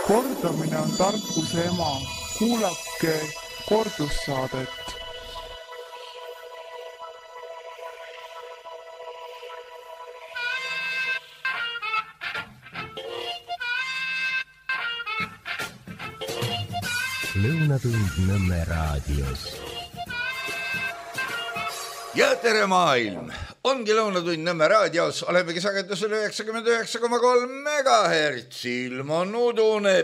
Kordamine on tarkuse ema. Kuulake kordussaadet. Lõunatund Nõmme raadios. Ja tere maailm! Ongi Lõunatund Nõmme raadios. Olemegi sagedusel 99,3 MHz. Ilm on udune.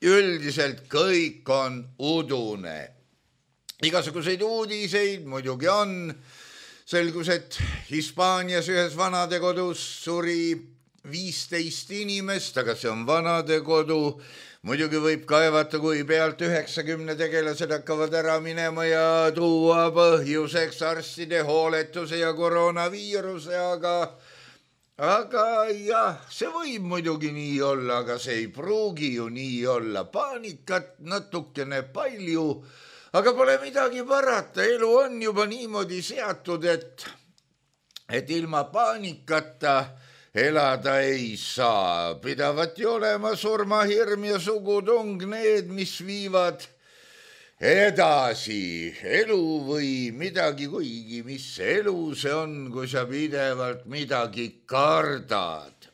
Üldiselt kõik on udune. Igasuguseid uudiseid muidugi on. Selgus, et Hispaanias ühes vanadekodus suri 15 inimest, aga see on vanadekodu. Muidugi võib kaevata, kui pealt 90 tegelased hakkavad ära minema ja tuua põhjuseks arstide hooletuse ja koroonaviiruse, aga jah, see võib muidugi nii olla, aga see ei pruugi ju nii olla. Paanikat natukene palju, aga pole midagi parata. Elu on juba niimoodi seatud, et ilma paanikata elada ei saa. Pidavat ju olema surmahirm ja sugutung need, mis viivad edasi elu või midagi, kuigi mis elu see on, kui sa pidevalt midagi kardad.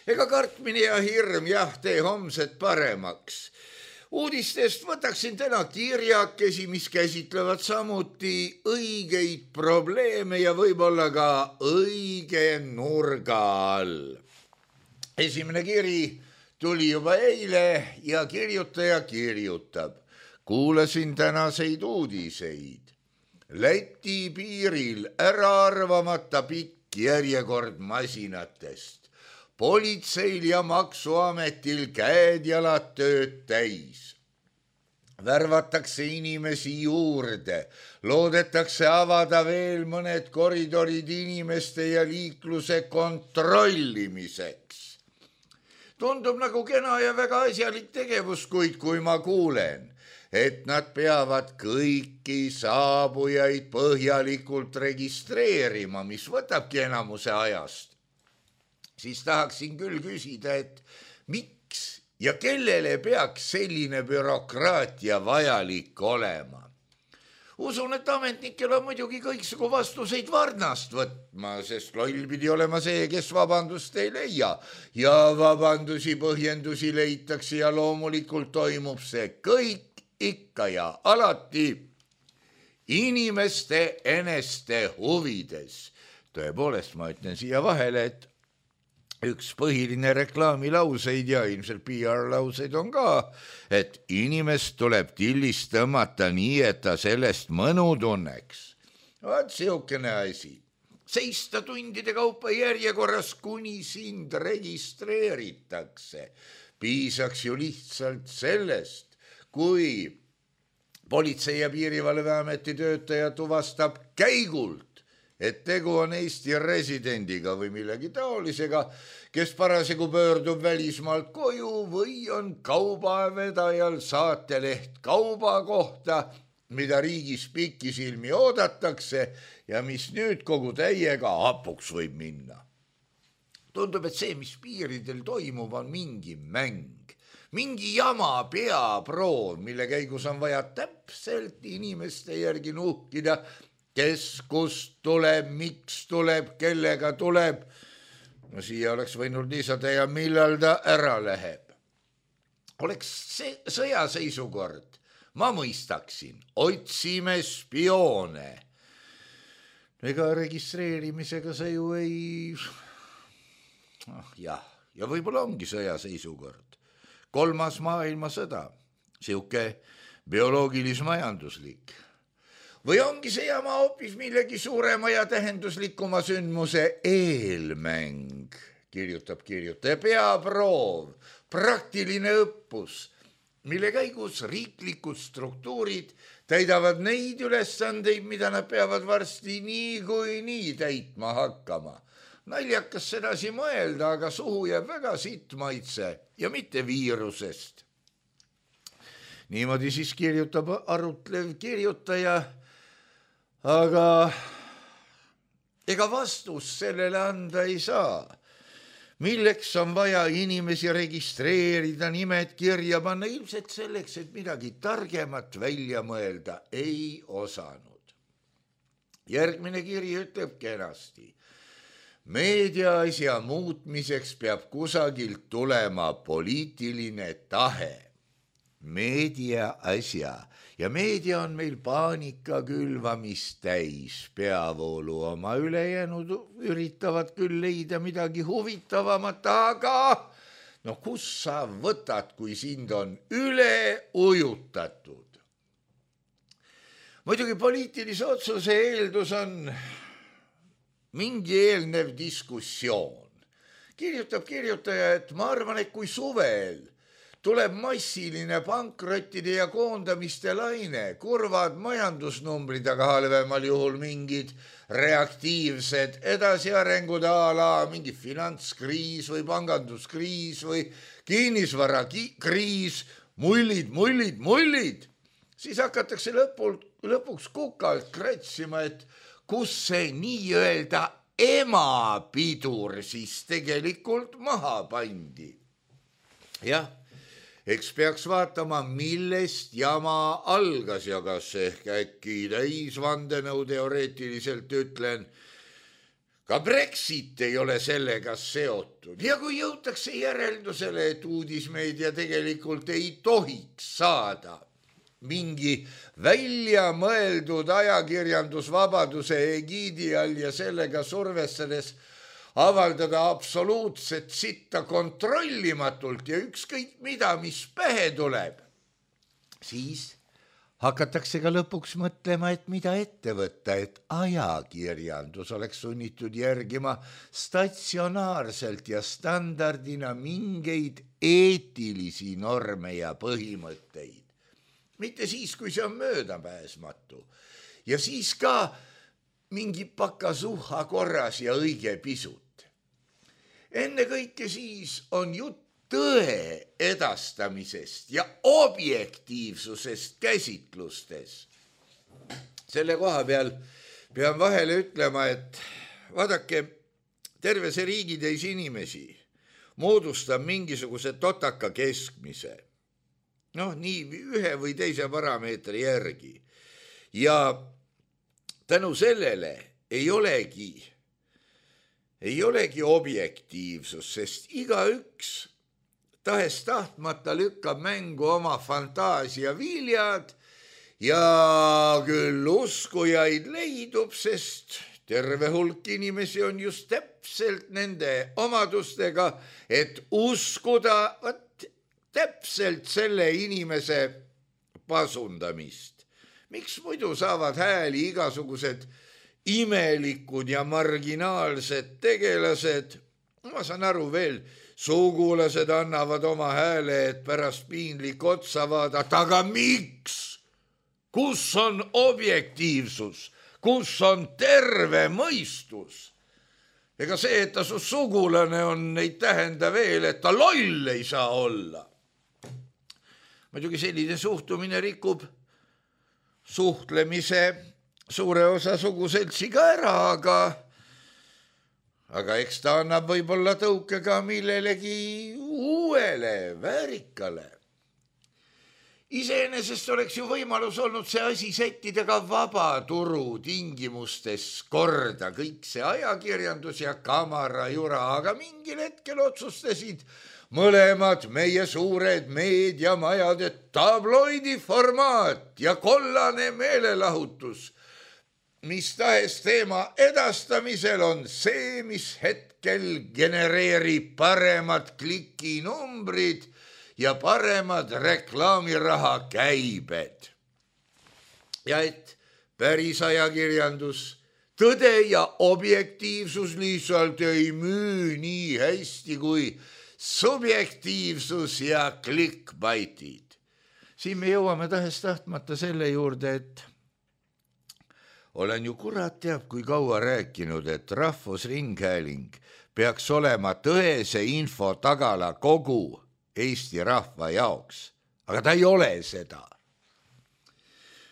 Ega kartmine ja hirm tee homset paremaks. Uudistest võtaksin täna kirjakesi, mis käsitlevad samuti õigeid probleeme ja võib-olla ka õige nurga all. Esimene kiri tuli juba eile ja kirjutaja kirjutab. Kuulasin tänaseid uudiseid. Läti piiril äraarvamata pikk järjekord masinatest. Politseil ja maksuametil käed-jalad tööd täis. Värvatakse inimesi juurde. Loodetakse avada veel mõned koridorid inimeste ja liikluse kontrollimiseks. Tundub nagu kena ja väga asjalik tegevus, kuid kui ma kuulen, et nad peavad kõiki saabujaid põhjalikult registreerima, mis võtabki enamuse ajast, siis tahaksin küll küsida, et miks ja kellele peaks selline bürokraatia vajalik olema. Usun, et ametnikel on muidugi kõiksugu vastuseid varnast võtma, sest loll pidi olema see, kes vabandust ei leia. Ja vabandusi, põhjendusi leitakse ja loomulikult toimub see kõik ikka ja alati inimeste eneste huvides. Tõepoolest, ma ütlen siia vahele, et üks põhiline reklaamilauseid ja ilmselt PR-lauseid on ka, et inimest tuleb tillist tõmmata nii, et ta sellest mõnu tunneks. Vaat siukene asi. Seista tundide kaupa järjekorras, kuni sind registreeritakse. Piisaks ju lihtsalt sellest, kui Politsei- ja Piirivalveameti töötaja tuvastab käigult, et tegu on Eesti residendiga või millegi taolisega, kes parasjagu pöördub välismaalt koju või on kaubavedajal saateleht kauba kohta, mida riigis pikisilmi oodatakse ja mis nüüd kogu täiega hapuks võib minna. Tundub, et see, mis piiridel toimub, on mingi mäng. Mingi jama peaproov, mille käigus on vaja täpselt inimeste järgi nuhkida, kes kust tuleb, miks tuleb, kellega tuleb. No siia oleks võinud lisada ja millal ta ära läheb. Oleks sõjaseisukord, ma mõistaksin, otsime spioone. Ega registreerimisega see ju ei... ja võib-olla ongi sõjaseisukord. 3. maailmasõda, siuke bioloogilis-majanduslik. Või ongi see jama hoopis millegi suurema ja tähenduslikuma sündmuse eelmäng, kirjutab kirjutaja. Peaproov, praktiline õppus, mille käigus riiklikud struktuurid täidavad neid ülesandeid, mida nad peavad varsti nii täitma hakkama. Naljakas sedasi mõelda, aga suhu jääb väga sitt maitse ja mitte viirusest. Niimoodi siis kirjutab arutlev kirjutaja, aga ega vastus sellele anda ei saa. milleks on vaja inimesi registreerida, nimed kirja panna, ilmselt selleks, et midagi targemat välja mõelda ei osanud. Järgmine kiri ütleb kenasti. Meediaasja muutmiseks peab kusagilt tulema poliitiline tahe. Meediaasja. Ja meedia on meil paanika külvamist täis, peavoolu oma ülejäänud üritavad küll leida midagi huvitavamat, aga kus sa võtad, kui sind on üle ujutatud? Muidugi poliitilise otsuse eeldus on mingi eelnev diskussioon. Kirjutab kirjutaja, et ma arvan, et kui suvel tuleb massiline pankrottide ja koondamiste laine, kurvad majandusnumbrid, aga halvemal juhul mingid reaktiivsed edasiarengud ala mingi finantskriis või panganduskriis või kinnisvarakriis, mullid, siis hakatakse lõpuks kukalt kratsima, et kus see nii-öelda emapidur siis tegelikult maha pandi. Jah. Eks peaks vaatama, millest jama algas ja kas ehk äkki täisvandenõu teoreetiliselt ütlen, ka Brexit ei ole sellega seotud. Ja kui jõutakse järeldusele, et uudismeedia tegelikult ei tohiks saada mingi välja mõeldud ajakirjandusvabaduse egiidi all ja sellega survestades avaldada absoluutset sitta kontrollimatult ja ükskõik mida, mis pähe tuleb, siis hakatakse ka lõpuks mõtlema, et mida ette võtta, et ajakirjandus oleks sunnitud järgima statsionaarselt ja standardina mingeid eetilisi norme ja põhimõtteid. Mitte siis, kui see on möödapääsmatu. Ja siis ka mingi pakasuha korras ja õige pisut. Enne kõike siis on jutt tõe edastamisest ja objektiivsusest käsitlustes. Selle koha peal pean vahele ütlema, et vaadake, terve see riigitäis inimesi moodustab mingisuguse totaka keskmise. Nii ühe või teise parameetri järgi. Ja tänu sellele ei olegi objektiivsus, sest igaüks tahes tahtmata lükkab mängu oma fantaasia viljad ja küll uskujaid leidub, sest terve hulk inimesi on just täpselt nende omadustega, et uskuda täpselt selle inimese pasundamist. Miks muidu saavad hääli igasugused imelikud ja marginaalsed tegelased? Ma saan aru veel, sugulased annavad oma hääle, et pärast piinlik otsa vaadata, aga miks? Kus on objektiivsus? Kus on terve mõistus? Ega see, et ta su sugulane on, ei tähenda veel, et ta loll ei saa olla. Muidugi selline suhtumine rikub suhtlemise suure osa suguseltsiga ära, aga eks ta annab võib-olla tõuke ka millelegi uuele, väärikale. Iseenesest oleks ju võimalus olnud see asi sättida ka vabaturu tingimustes korda, kõik see ajakirjandus ja kamarajura, aga mingil hetkel otsustasid mõlemad meie suured meediamajad, et tabloidi formaat ja kollane meelelahutus mis tahes teema edastamisel on see, mis hetkel genereerib paremad klikinumbrid ja paremad reklaamiraha käibed. Ja et päris ajakirjandus, tõde ja objektiivsus lihtsalt ei müü nii hästi kui subjektiivsus ja clickbaitid. Siin me jõuame tahes tahtmata selle juurde, et olen ju kurat teab, kui kaua rääkinud, et Rahvusringhääling peaks olema tõese info tagala kogu Eesti rahva jaoks, aga ta ei ole seda.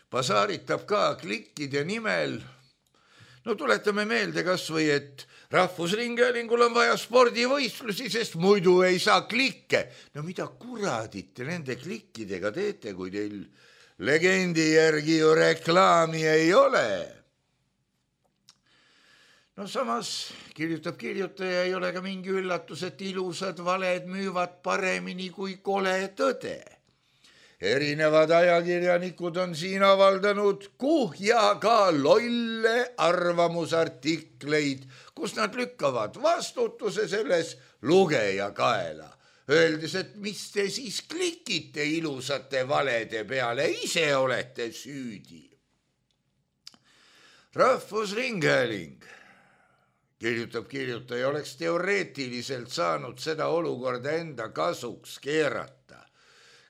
Basaaritab ka klikkide nimel. No tuletame meelde kas või, et Rahvusringhäälingul on vaja spordivõistlusi, sest muidu ei saa klikke. No mida kuradit te nende klikkidega teete, kui teil legendi järgi ju reklaami ei ole? No samas kirjutab kirjutaja, ei ole ka mingi üllatus, et ilusad valed müüvad paremini kui kole tõde. Erinevad ajakirjanikud on siin avaldanud kuhjaga lolle arvamusartikleid, kus nad lükkavad vastutuse selles lugeja kaela. Öeldes, et mis te siis klikite ilusate valede peale, ise olete süüdi. Rahvusringhääling, kirjutab kirjutaja, oleks teoreetiliselt saanud seda olukorda enda kasuks keerata,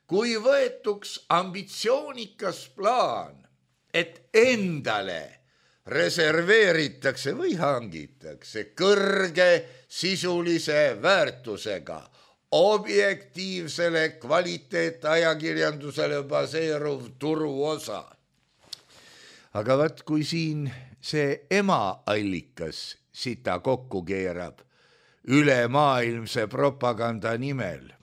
kui võetuks ambitsioonikas plaan, et endale reserveeritakse või hangitakse kõrge sisulise väärtusega objektiivsele kvaliteetajakirjandusele baseeruv turuosa. Aga vaat kui siin see emaallikas sita kokku keerab ülemaailmse propaganda nimel,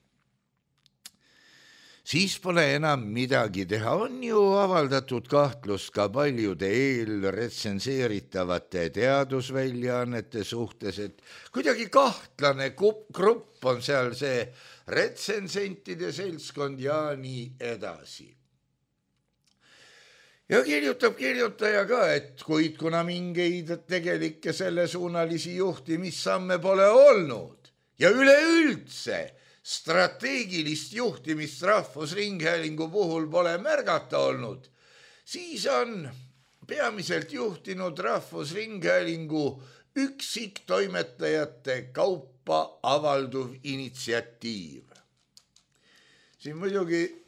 siis pole enam midagi teha. On ju avaldatud kahtlust ka paljude eelretsenseeritavate teadusväljaannete suhtes, et kuidagi kahtlane grupp on seal see retsensentide seltskond ja nii edasi. Ja kirjutab kirjutaja ka, et kuid kuna mingeid tegelikke sellesuunalisi juhtimissamme pole olnud ja üleüldse strateegilist juhtimist Rahvusringhäälingu puhul pole märgata olnud, siis on peamiselt juhtinud Rahvusringhäälingu üksiktoimetajate kaupa avalduv initsiatiiv. Siin muidugi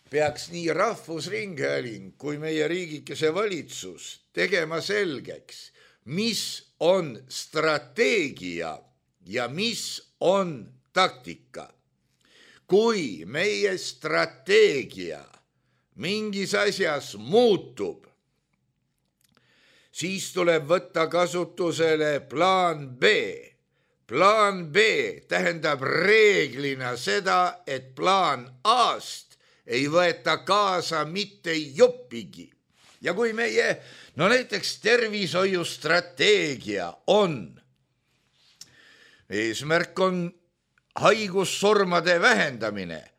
peaks nii Rahvusringhääling kui meie riigikese valitsus tegema selgeks, mis on strateegia ja mis on taktika. Kui meie strateegia mingis asjas muutub, siis tuleb võtta kasutusele plaan B. Plaan B tähendab reeglina seda, et plaan A-st ei võeta kaasa mitte juppigi. Ja kui meie, näiteks tervishoiustrateegia on, eesmärk on haigussurmade vähendamine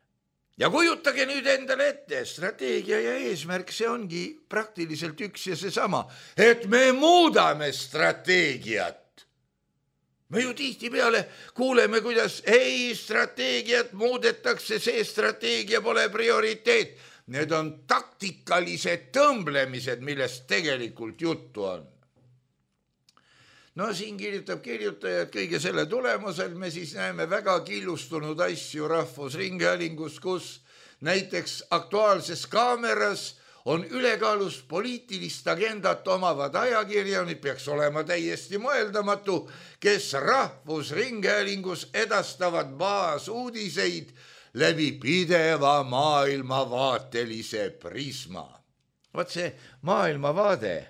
ja kujutage nüüd endale ette, strateegia ja eesmärk, see ongi praktiliselt üks ja seesama, et me muudame strateegiat. Me ju tihtipeale kuuleme, kuidas strateegiat muudetakse, see strateegia pole prioriteet. Need on taktikalised tõmblemised, millest tegelikult juttu on. No siin kirjutab kirjutaja, et kõige selle tulemusel me siis näeme väga killustunud asju Rahvusringhäälingus, kus näiteks Aktuaalses Kaameras on ülekaalus poliitilist agendat omavad ajakirjanikud, peaks olema täiesti mõeldamatu, kes Rahvusringhäälingus edastavad baasuudiseid läbi pideva maailmavaatelise prisma. Vaat see maailmavaade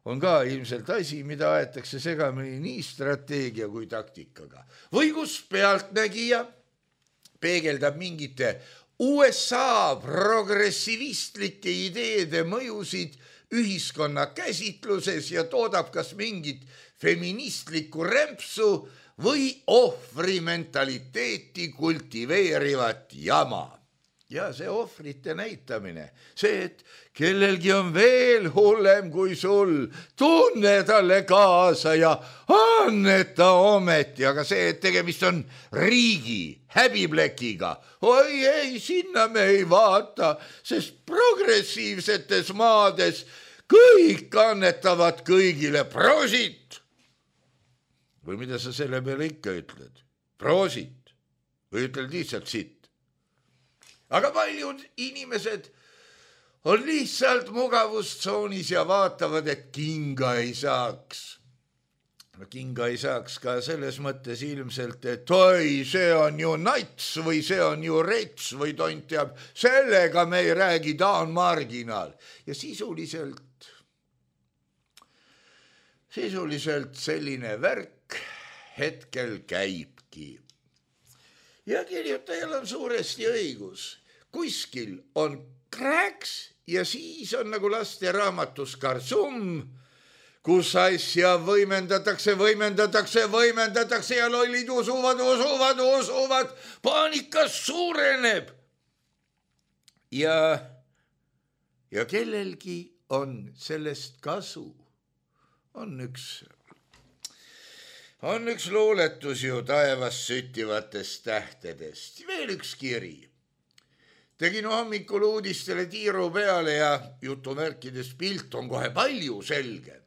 on ka ilmselt asi, mida aetakse segamini nii strateegia kui taktikaga. Või kus pealtnägija peegeldab mingite USA progressivistlike ideede mõjusid ühiskonna käsitluses ja toodab kas mingit feministlikku rämpsu või ohvrimentaliteeti kultiveerivat jama. Ja see ohvrite näitamine, see, et kellelgi on veel hullem kui sul, tunne talle kaasa ja anneta ometi, aga see, et tegemist on riigi häbiplekiga, oi ei, sinna me ei vaata, sest progressiivsetes maades kõik annetavad kõigile prosit. Või mida sa selle peale ikka ütled? Prosit või ütled lihtsalt sitt? Aga paljud inimesed on lihtsalt mugavustsoonis ja vaatavad, et kinga ei saaks. Kinga ei saaks ka selles mõttes ilmselt, et oi, see on ju nats või see on ju rets või tont teab, sellega me ei räägi, ta on marginaal. Ja sisuliselt Sisuliselt selline värk hetkel käibki. Ja kirjutajal on suuresti õigus. Kuskil on krääks ja siis on nagu laste raamatus Karsum, kus asja võimendatakse ja lollid usuvad, paanikas suureneb. Ja kellelgi on sellest kasu. On üks luuletus ju taevas süttivatest tähtedest. Veel üks kiri. Tegin hommikul uudistele tiiru peale ja jutumärkides pilt on kohe palju selgem.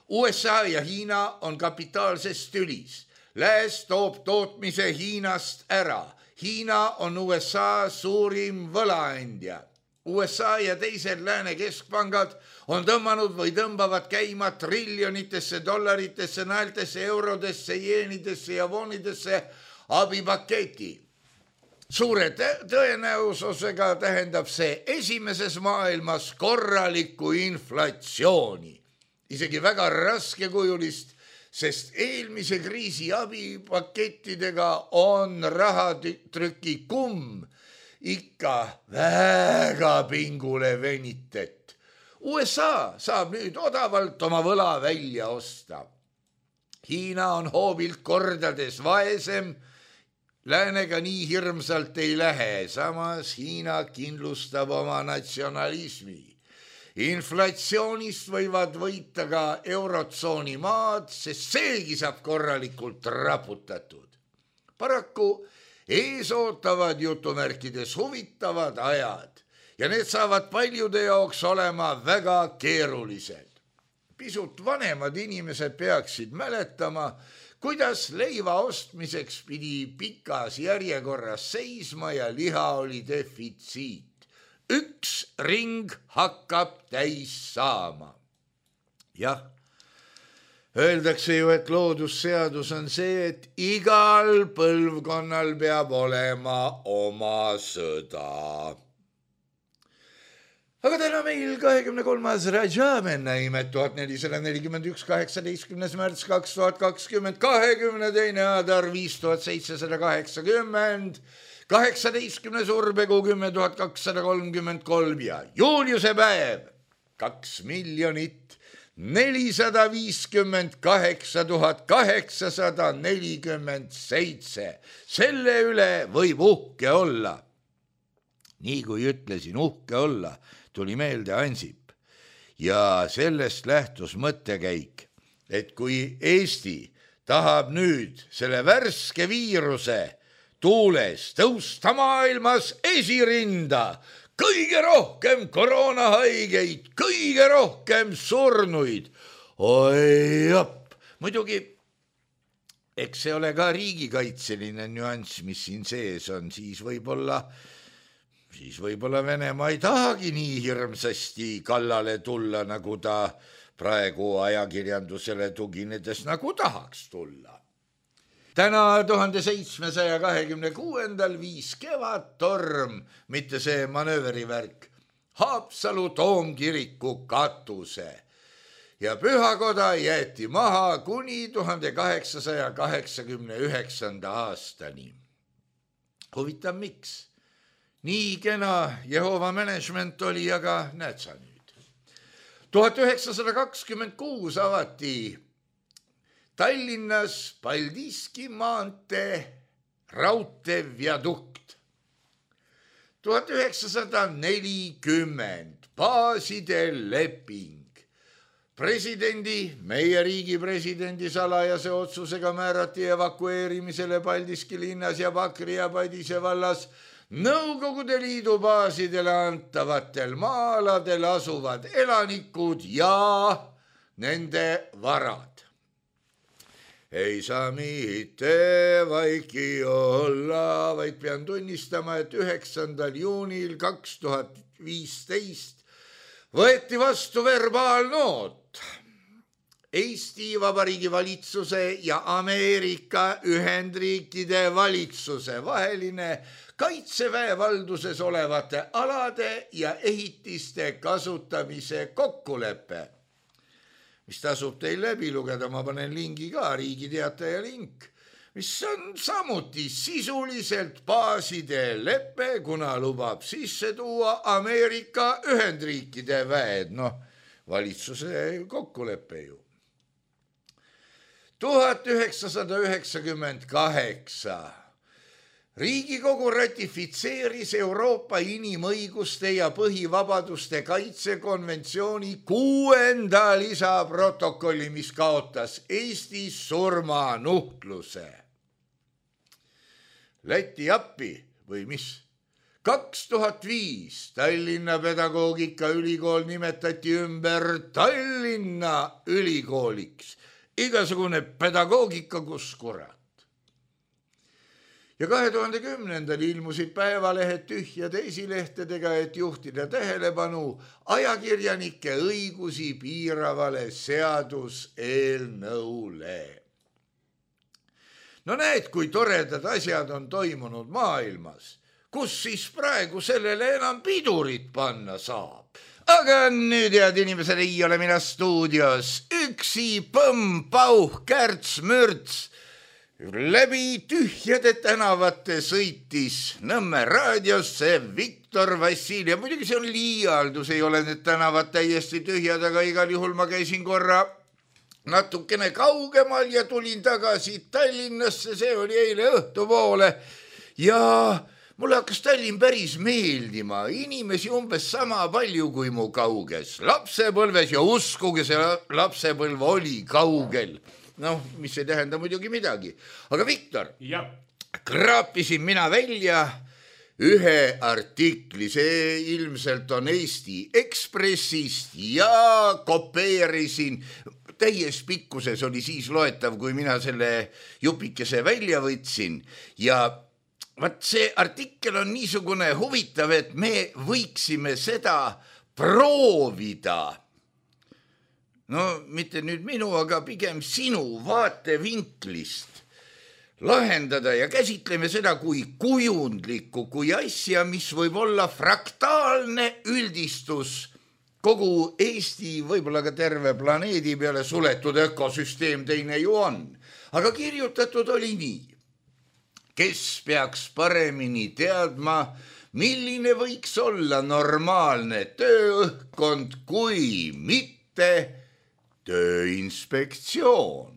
USA ja Hiina on kapitaalses tülis. Lääs toob tootmise Hiinast ära. Hiina on USA suurim võlaandja. USA ja teised lääne keskpangad on tõmmanud või tõmbavad käima triljonitesse dollaritesse, naeltesse, eurodesse, jeenidesse ja voonidesse abipaketi. Suure tõenäosusega tähendab see esimeses maailmas korralikku inflatsiooni. Isegi väga raskekujulist, sest eelmise kriisi abipakettidega on rahatrüki kumm ikka väga pingule venitet. USA saab nüüd odavalt oma võla välja osta. Hiina on hoobilt kordades vaesem, läänega nii hirmsalt ei lähe, samas Hiina kindlustab oma natsionalismi. Inflatsioonist võivad võita ka eurotsooni maad, sest seegi saab korralikult raputatud. Paraku ees ootavad jutumärkides huvitavad ajad ja need saavad paljude jaoks olema väga keerulised. Pisut vanemad inimesed peaksid mäletama, kuidas leiva ostmiseks pidi pikas järjekorras seisma ja liha oli defitsiit. Üks ring hakkab täis saama. Jah, öeldakse ju, et loodusseadus on see, et igal põlvkonnal peab olema oma sõda. Aga täna meil 23. Rajamenna imet 1441, 18. märts 2020, 22. Adar 5780, 18. Urbekuu 10.233 ja Juliuse päev 2 458 847. Selle üle võib uhke olla. Nii kui ütlesin uhke olla, tuli meelde Ansip ja sellest lähtus mõttekäik, et kui Eesti tahab nüüd selle värske viiruse tuules tõusta maailmas esirinda, kõige rohkem koroonahaigeid, kõige rohkem surnuid. Oi jopp, muidugi, eks see ole ka riigikaitseline nüanss, mis siin sees on, siis võib-olla Venemaa ei tahagi nii hirmsasti kallale tulla, nagu ta praegu ajakirjandusele tuginedes nagu tahaks tulla. Täna 1726. viis kevadtorm, mitte see manööverivärk, Haapsalu toomkiriku katuse ja pühakoda jäeti maha kuni 1889. aastani. Huvitav, miks? Nii kena Jehova management oli, aga näed sa nüüd. 1926 avati Tallinnas Paldiski maantee raudteeviadukt. 1940 baaside leping. Meie riigi presidendi salajase otsusega määrati evakueerimisele Paldiski linnas ja Pakri ja Padise vallas Nõukogude Liidu baasidele antavatel maa-aladel asuvad elanikud ja nende varad. Ei saa mitte vaiki olla, vaid pean tunnistama, et 9. juunil 2015 võeti vastu verbaalnoot Eesti Vabariigi valitsuse ja Ameerika Ühendriikide valitsuse vaheline kaitseväe valduses olevate alade ja ehitiste kasutamise kokkulepe. mis tasub teil läbi lugeda, ma panen lingi ka, Riigi Teataja link, mis on samuti sisuliselt baaside lepe, kuna lubab sisse tuua Ameerika Ühendriikide väed, valitsuse kokkulepe ju. 1998 Riigikogu ratifitseeris Euroopa inimõiguste ja põhivabaduste kaitsekonventsiooni 6. lisaprotokolli, mis kaotas Eestis surmanuhtluse. Läti appi või mis? 2005 Tallinna Pedagoogikaülikool nimetati ümber Tallinna Ülikooliks. Igasugune pedagoogika, kus kurat. Ja 2010. ilmusid päevalehed tühjade esilehtedega, et juhtida tähelepanu ajakirjanike õigusi piiravale seaduseelnõule. No näed, kui toredad asjad on toimunud maailmas, kus siis praegu sellele enam pidurit panna saab. Aga nüüd, head inimesed, ei ole mina stuudios. Üksi põmm, pauh, kärts, mürts. Läbi tühjade tänavate sõitis Nõmme raadiosse Viktor Vassiljev. Muidugi see on liialdus, ei ole need tänavad täiesti tühjad, aga igal juhul ma käisin korra natukene kaugemal ja tulin tagasi Tallinnasse, see oli eile õhtupoole ja mulle hakkas Tallinn päris meeldima, inimesi umbes sama palju kui mu kauges lapsepõlves ja uskuge, see lapsepõlv oli kaugel. Mis ei tähenda muidugi midagi. Aga Viktor, kraapisin mina välja ühe artikli, see ilmselt on Eesti Ekspressist ja kopeerisin. Täies pikkuses oli siis loetav, kui mina selle jupikese välja võtsin ja vaat see artikkel on niisugune huvitav, et me võiksime seda proovida. Mitte nüüd minu, aga pigem sinu vaatevinklist lahendada ja käsitleme seda kui kujundlikku, kui asja, mis võib olla fraktaalne üldistus kogu Eesti, võib-olla ka terve planeedi peale suletud ökosüsteem teine ju on. Aga kirjutatud oli nii. Kes peaks paremini teadma, milline võiks olla normaalne tööõhkkond kui mitte Tööinspektsioon.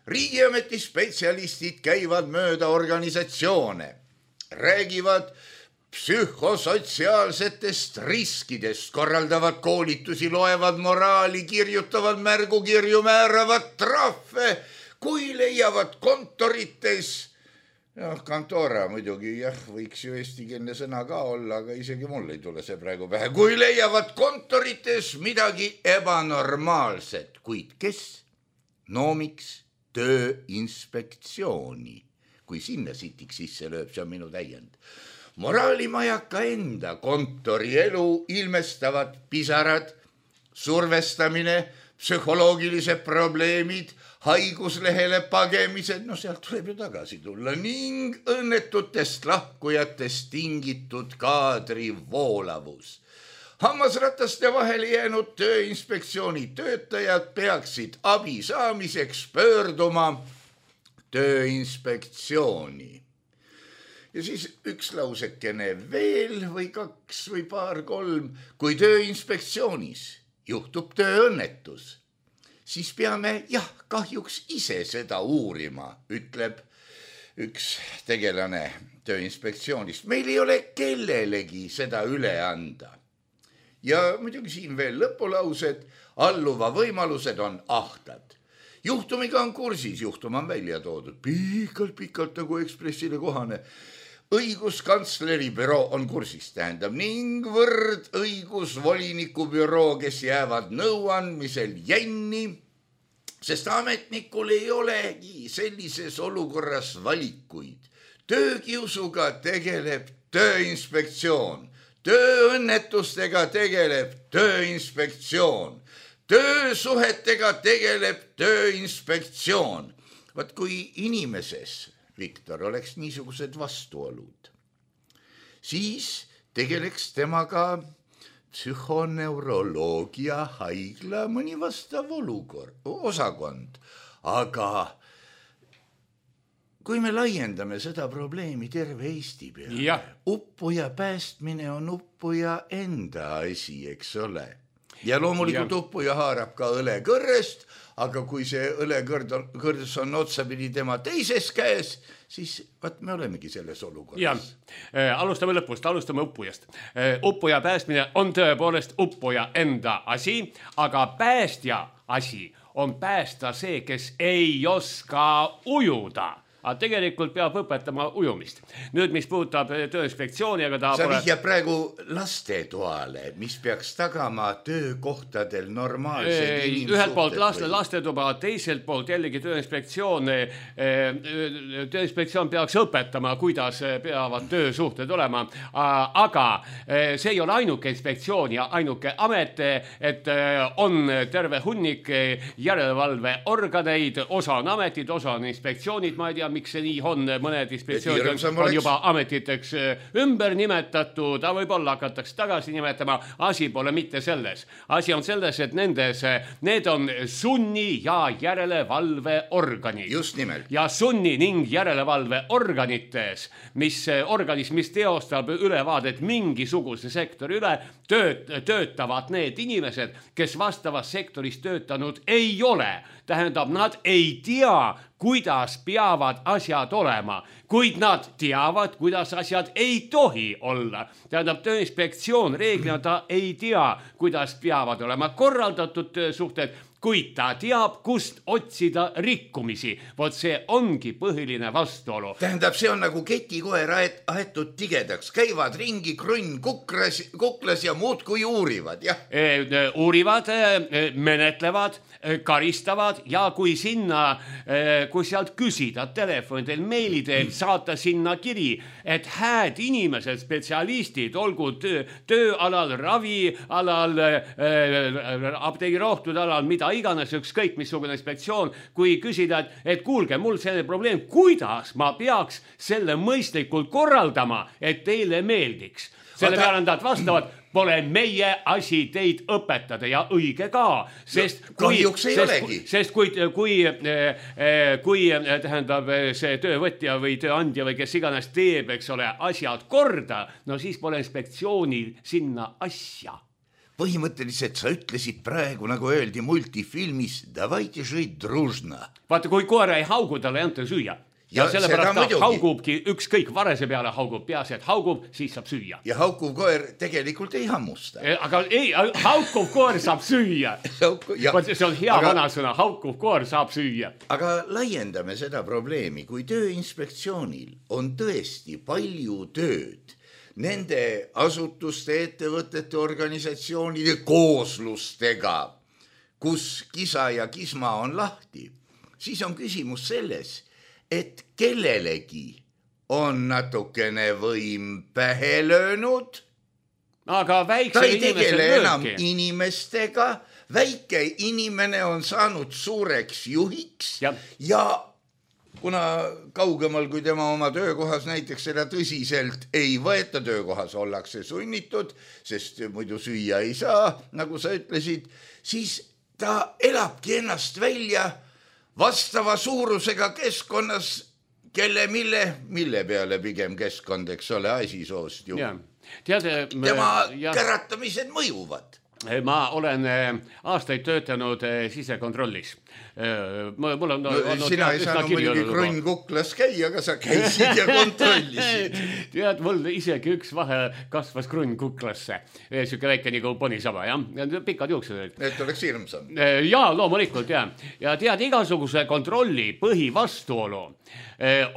Riigiameti spetsialistid käivad mööda organisatsioone, räägivad psühhosotsiaalsetest riskidest, korraldavad koolitusi, loevad moraali, kirjutavad märgukirju, määravad trahve, kui leiavad kontorites. Kantora muidugi, võiks ju eestikeelne sõna ka olla, aga isegi mul ei tule see praegu pähe. Kui leiavad kontorites midagi ebanormaalset, kuid kes? Miks Tööinspektsiooni? Kui sinna sitiks sisse lööb, see on minu täiend. Moraalimajaka enda kontorielu ilmestavad pisarad, survestamine, psühholoogilised probleemid, haiguslehele pagemised, sealt tuleb ju tagasi tulla ning õnnetutest lahkujatest tingitud kaadri voolavus. Hammasrataste vahele jäänud Tööinspektsiooni töötajad peaksid abi saamiseks pöörduma Tööinspektsiooni. Ja siis üks lausekene veel või kaks või paar, kolm, kui Tööinspektsioonis juhtub tööõnnetus, siis peame kahjuks ise seda uurima, ütleb üks tegelane Tööinspektsioonist. Meil ei ole kellelegi seda üle anda. Ja muidugi siin veel lõpulaused, alluva võimalused on ahtad. Juhtumiga on kursis, juhtum on välja toodud. Pikalt nagu Ekspressile kohane. Õiguskantsleri büroo on kursis, tähendab, ning võrdõigusvoliniku büroo, kes jäävad nõuandmisel jänni, sest ametnikul ei olegi sellises olukorras valikuid. Töökiusuga tegeleb Tööinspektsioon, tööõnnetustega tegeleb Tööinspektsioon, töösuhetega tegeleb Tööinspektsioon. Vaat kui inimeses, Viktor, oleks niisugused vastuolud, siis tegeleks temaga psühhoneuroloogia haigla mõni vastav osakond, aga kui me laiendame seda probleemi terve Eesti peale, uppuja päästmine on uppuja enda asi, eks ole. Ja loomulikult uppuja haarab ka õlekõrrest, aga kui see õlekõrdes on otsapidi tema teises käes, siis me olemegi selles olukorras. Alustame lõpust, alustame uppujast. Uppuja päästmine on tõepoolest uppuja enda asi, aga päästja asi on päästa see, kes ei oska ujuda. Aga tegelikult peab õpetama ujumist. Nüüd, mis puudutab Tööinspektsiooni, aga ta sa vihjab praegu lastetoale, mis peaks tagama töökohtadel normaalsed inimsuhted. Ühelt poolt lastetuba, teiselt poolt jällegi Tööinspektsioon peaks õpetama, kuidas peavad töösuhted olema. Aga see ei ole ainuke inspektsioon ja ainuke amet, et on terve hunnik järelevalveorganeid, osa on ametid, osa on inspektsioonid, ma ei tea, miks see nii on, mõned inspektsioonid on juba ametiteks ümber nimetatud, võib-olla hakatakse tagasi nimetama, asi pole mitte selles. Asi on selles, et need on sunni- ja järelevalveorganid. Just nimelt. Ja sunni- ning järelevalveorganites, mis teostab ülevaadet mingisuguse sektori üle, töötavad need inimesed, kes vastavas sektoris töötanud ei ole. Tähendab, nad ei tea, kuidas peavad asjad olema, kuid nad teavad, kuidas asjad ei tohi olla. Tähendab, Tööinspektsioon reeglina ta ei tea, kuidas peavad olema korraldatud töösuhted, kuid ta teab, kust otsida rikkumisi. Vot see ongi põhiline vastuolu. Tähendab, see on nagu ketikoer aetud tigedaks. Käivad ringi krunn kuklas ja muud kui uurivad. Uurivad, menetlevad, karistavad ja kui sealt küsida telefonidel, meilidel, saata sinna kiri, et hääd inimesed, spetsialistid, olgu tööalal, ravialal, apteegirohtude alal, mida iganes, ükskõik missugune inspektsioon, kui küsida, et kuulge, mul selline probleem, kuidas ma peaks selle mõistlikult korraldama, et teile meeldiks. Selle peale nad vastavad, pole meie asi teid õpetada ja õige ka, sest kui tähendab see töövõtja või tööandja või kes iganes teeb, eks ole, asjad korda, no siis pole inspektsioonil sinna asja. Põhimõtteliselt sa ütlesid praegu, nagu öeldi multifilmis, davайте жить дружно. Vaata, kui koera ei haugu, talle ei anta süüa. Ja sellepärast ta haugubki, ükskõik varese peale haugub, peas, et haugub, siis saab süüa. Ja haukuv koer tegelikult ei hammusta. Aga ei, haukuv koer saab süüa. See on hea vanasõna, haukuv koer saab süüa. Aga laiendame seda probleemi, kui Tööinspektsioonil on tõesti palju tööd nende asutuste, ettevõtete, organisatsioonide kooslustega, kus kisa ja kisma on lahti, siis on küsimus selles, et kellelegi on natukene võim pähe löönud, aga ta ei tegele enam inimestega, väike inimene on saanud suureks juhiks ja kuna kaugemal kui tema oma töökohas näiteks seda tõsiselt ei võeta, töökohas ollakse sunnitud, sest muidu süüa ei saa, nagu sa ütlesid, siis ta elabki ennast välja vastava suurusega keskkonnas, mille peale pigem keskkond, eks ole, asisoost ju. Tema käratamised mõjuvad. Ma olen aastaid töötanud sisekontrollis. Sina ei saanud muidugi krunn kuklas käia, aga sa käisid ja kontrollisid. Tead, mul isegi üks vahe kasvas krunn kuklasse. Siuke väike nagu ponisaba, jah. Pikad juuksed. Et oleks hirmsam. Jaa, loomulikult, jah. Ja tead, igasuguse kontrolli põhivastuolu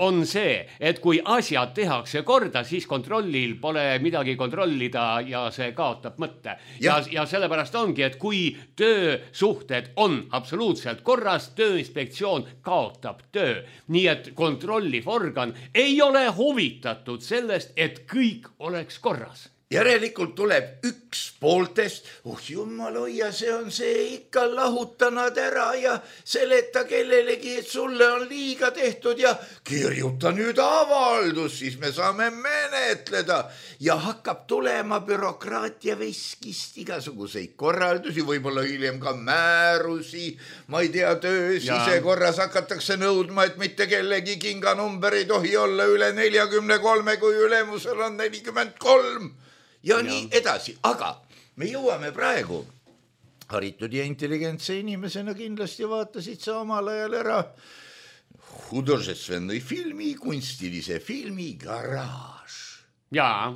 on see, et kui asjad tehakse korda, siis kontrollil pole midagi kontrollida ja see kaotab mõtte. Ja sellepärast ongi, et kui töösuhted on absoluutselt korras, Tööinspektsioon kaotab töö. Nii et kontrolliv organ ei ole huvitatud sellest, et kõik oleks korras. järelikult tuleb üks pooltest, jumal hoia, see on see, ikka lahuta nad ära ja seleta kellelegi, et sulle on liiga tehtud ja kirjuta nüüd avaldus, siis me saame menetleda ja hakkab tulema bürokraatia veskist igasuguseid korraldusi, võib-olla hiljem ka määrusi, ma ei tea, töö sisekorras hakatakse nõudma, et mitte kellegi kinganumber ei tohi olla üle 43, kui ülemusel on 43 ja nii edasi, aga me jõuame praegu haritud ja intelligentse inimesena kindlasti vaatasid sa omal ajal ära hudržestvennõi filmi, kunstilise filmi Garaaž. Jaa.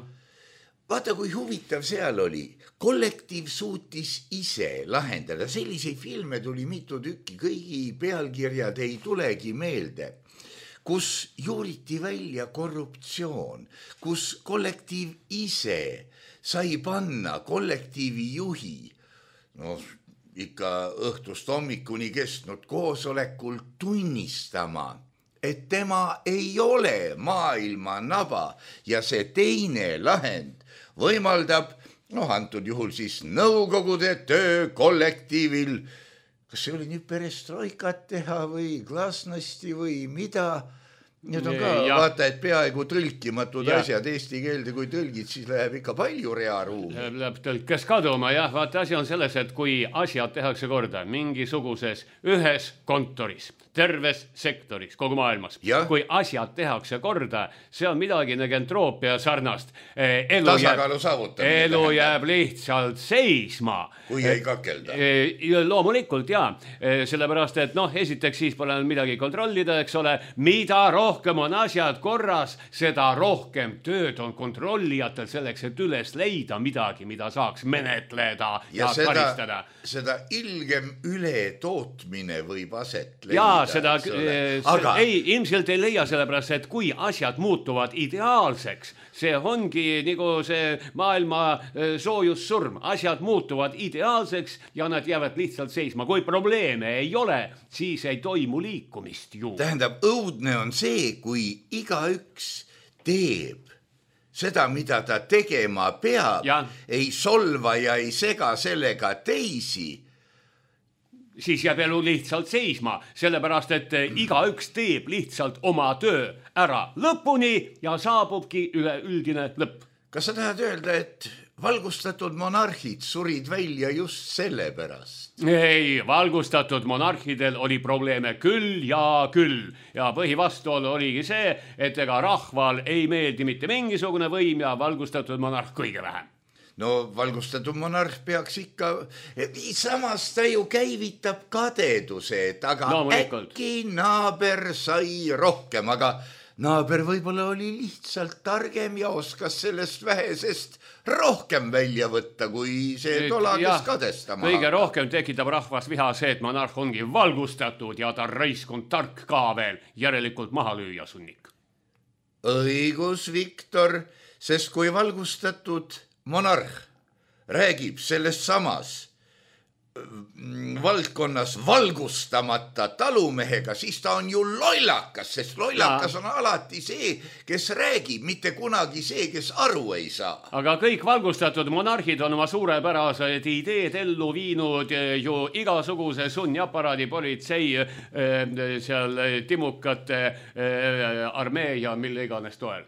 Vaata, kui huvitav seal oli. Kollektiiv suutis ise lahendada. Selliseid filme tuli mitu tükki, kõigi pealkirjad ei tulegi meelde, kus juuriti välja korruptsioon, kus kollektiiv ise sai panna kollektiivi juhi, ikka õhtust hommikuni kestnud koosolekul tunnistama, et tema ei ole maailma naba ja see teine lahend võimaldab, antud juhul siis nõukogude töö kollektiivil, kas see oli nüüd perestroikat teha või glasnosti või mida. Need on ka, vaata, et peaaegu tõlkimatud asjad eesti keelde, kui tõlgid, siis läheb ikka palju rearuumi. Läheb tõlkes kaduma, jah, vaata, asi on selles, et kui asjad tehakse korda mingisuguses ühes kontoris, terves sektoris, kogu maailmas, kui asjad tehakse korda, see on midagi negentroopia sarnast. Tasakaalu saavutamine. Elu jääb lihtsalt seisma. Kui ei kakelda. Loomulikult, jaa. Sellepärast, et esiteks siis pole midagi kontrollida, eks ole, mida rohkem on asjad korras, seda rohkem tööd on kontrollijatel selleks, et üles leida midagi, mida saaks menetleda ja karistada. Seda ilgem ületootmine võib aset leida. Jaa, ilmselt ei leia sellepärast, et kui asjad muutuvad ideaalseks, see ongi nagu see maailma soojussurm, asjad muutuvad ideaalseks ja nad jäävad lihtsalt seisma. Kui probleeme ei ole, siis ei toimu liikumist ju. Tähendab, õudne on see, kui igaüks teeb seda, mida ta tegema peab, ei solva ja ei sega sellega teisi, siis jääb elu lihtsalt seisma, sellepärast, et igaüks teeb lihtsalt oma töö ära lõpuni ja saabubki üleüldine lõpp. Kas sa tahad öelda, et valgustatud monarhid surid välja just selle pärast? Ei, valgustatud monarhidel oli probleeme küll ja küll. Ja põhivastuolu oligi see, et ega rahval ei meeldi mitte mingisugune võim ja valgustatud monarh kõige vähem. Valgustatud monarh peaks ikka, samas ta ju käivitab kadeduse, aga äkki naaber sai rohkem, aga naaber võib-olla oli lihtsalt targem ja oskas sellest vähesest rohkem välja võtta, kui see tolades kadestama. Kõige rohkem tekitab rahvas viha see, et monarh ongi valgustatud ja ta raiskund tark ka veel, järelikult maha lüüa sunnik. Õigus, Viktor, sest kui valgustatud monarh räägib sellest samas valdkonnas valgustamata talumehega, siis ta on ju lollakas, sest lollakas on alati see, kes räägib, mitte kunagi see, kes aru ei saa. Aga kõik valgustatud monarhid on oma suurepärased ideed ellu viinud ju igasuguse sunniaparaadi politsei seal timukate armee ja mille iganes toel.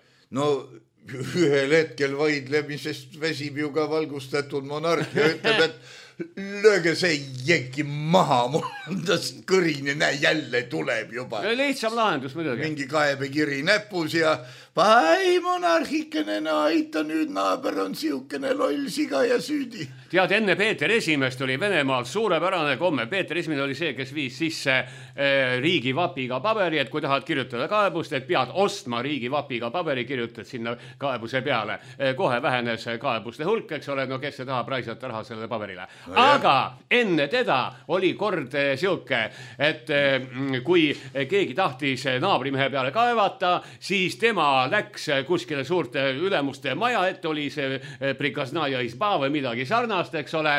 Ühel hetkel vaidlemisest väsib ju ka valgustatud monarh ja ütleb, et lööge see jenki maha, mul on tast kõrini, näe, jälle tuleb juba. Lihtsam lahendus muidugi. Mingi kaebekiri näpus ja pai monarhikene, aita nüüd, naaber on siukene loll siga ja süüdi. Tead, enne Peeter Esimest oli Venemaal suurepärane komme. Peeter Esimene oli see, kes viis sisse riigivapiga paberi, et kui tahad kirjutada kaebust, et pead ostma riigivapiga paberi, kirjutad sinna kaebuse peale. Kohe vähenes kaebuste hulk, eks ole, kes se tahab raisata raha sellele paberile. Aga enne teda oli kord siuke, et kui keegi tahtis naabrimehe peale kaevata, siis tema läks kuskile suurte ülemuste maja, et oli see prikaznaja izba või midagi sarnast, eks ole,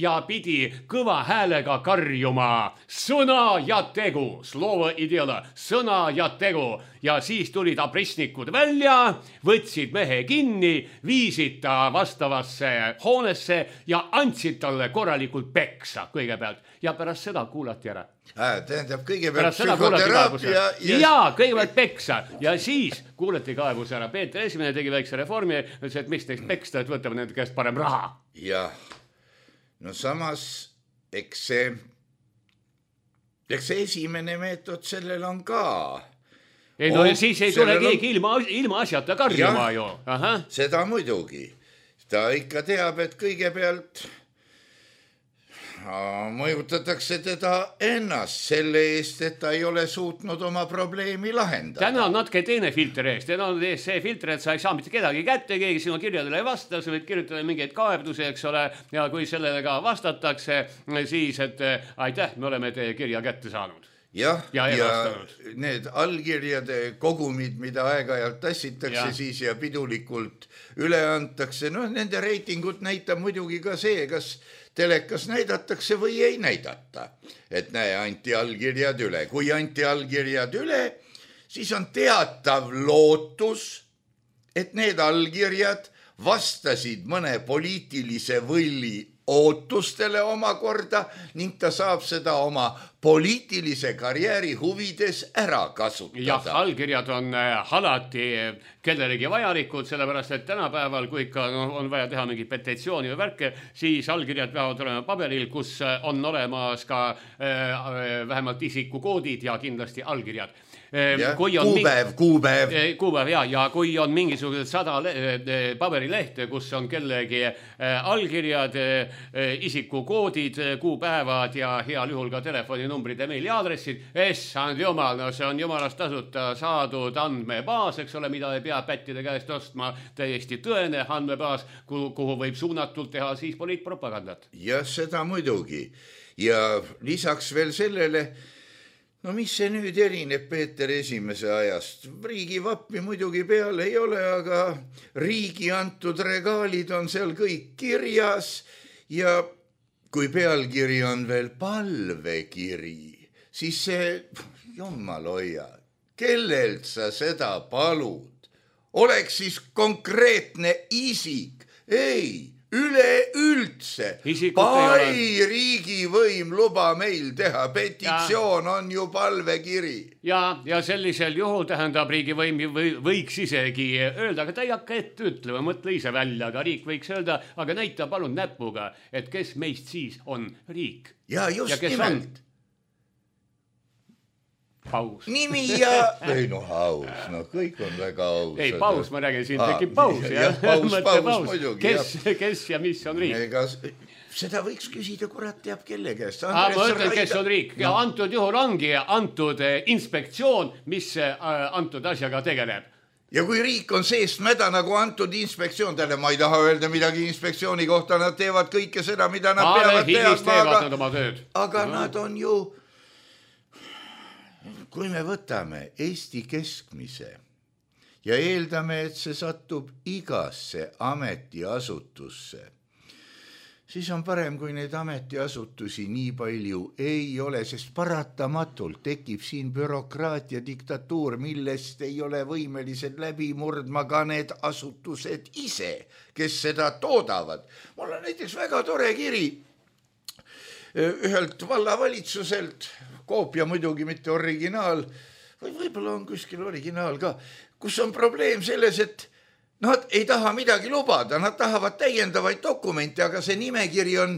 ja pidi kõva häälega karjuma sõna ja tegu, slovo i dela, sõna ja tegu. ja siis tulid abrissnikud välja, võtsid mehe kinni, viisid ta vastavasse hoonesse ja andsid talle korralikult peksa kõigepealt ja pärast seda kuulati ära. Tähendab kõigepealt psühhoteraapia kõigepealt peksa ja siis kuulati kaebus ära. Peeter Esimene tegi väikse reformi, ütles, et mis neist peksta, et võtame nende käest parem raha. Jah, no samas eks see esimene meetod sellel on ka. Ei, no siis ei tule keegi ilma asjata karjuma ju. Seda muidugi. Ta ikka teab, et kõigepealt mõjutatakse teda ennast selle eest, et ta ei ole suutnud oma probleemi lahendada. Täna on natuke teine filter eest. Täna on see filter, et sa ei saa mitte kedagi kätte, keegi sinu kirjadele ei vasta, sa võid kirjutada mingeid kaebusi, eks ole, ja kui sellele ka vastatakse, siis, et aitäh, me oleme teie kirja kätte saanud. Ja need allkirjade kogumid, mida aeg-ajalt tassitakse siis ja pidulikult üle antakse, no nende reitingut näitab muidugi ka see, kas telekas näidatakse või ei näidata. Et näe, anti allkirjad üle. Kui anti allkirjad üle, siis on teatav lootus, et need allkirjad vastasid mõne poliitilise võlli ootustele omakorda ning ta saab seda oma poliitilise karjääri huvides ära kasutada. Jah, allkirjad on alati kellelegi vajalikud, sellepärast et tänapäeval, kui ikka on vaja teha mingi petitsiooni või värke, siis allkirjad peavad olema paberil, kus on olemas ka vähemalt isikukoodid ja kindlasti allkirjad. Kuupäev ja kui on mingisugused 100 paberilehte, kus on kellegi allkirjad, isikukoodid, kuupäevad ja heal juhul ka telefoninumbrid ja meiliaadressid, issand jumal, no see on jumalast tasuta saadud andmebaas, eks ole, mida ei pea pättide käest ostma, täiesti tõene andmebaas, kuhu võib suunatult teha siis poliitpropagandat. Ja seda muidugi. Ja lisaks veel sellele, no mis see nüüd erineb Peeter Esimese ajast? Riigivappi muidugi peal ei ole, aga riigi antud regaalid on seal kõik kirjas ja kui pealkiri on veel palvekiri, siis see, jumal hoia, kellelt sa seda palud? Oleks siis konkreetne isik? Ei, üleüldse. Pai riigivõim luba meil teha, petitsioon on ju palvekiri. Ja sellisel juhul tähendab riigivõim võiks isegi öelda, aga ta ei hakka ette ütlema, mõtle ise välja, aga riik võiks öelda, aga näita palun näpuga, et kes meist siis on riik. Ja just nimelt. Paus. Nimi ja... Ei no aus, no kõik on väga aus. Ei, paus, ma räägin, siin tekib paus. Paus muidugi. Kes ja mis on riik? Ega seda võiks küsida, kurat teab kelle käest. Ma ütlen, kes on riik. Ja antud juhul ongi antud inspektsioon, mis antud asjaga tegeleb. Ja kui riik on seest mäda nagu antud inspektsioon, tähendab, ma ei taha öelda midagi inspektsiooni kohta, nad teevad kõike seda, mida nad peavad teadma, aga nad on ju... Kui me võtame Eesti keskmise ja eeldame, et see satub igasse ametiasutusse, siis on parem, kui neid ametiasutusi nii palju ei ole, sest paratamatult tekib siin bürokraatia diktatuur, millest ei ole võimelised läbi murdma ka need asutused ise, kes seda toodavad. Mul on näiteks väga tore kiri ühelt vallavalitsuselt, koopia muidugi mitte originaal, või võib-olla on kuskil originaal ka, kus on probleem selles, et nad ei taha midagi lubada, nad tahavad täiendavaid dokumente, aga see nimekiri on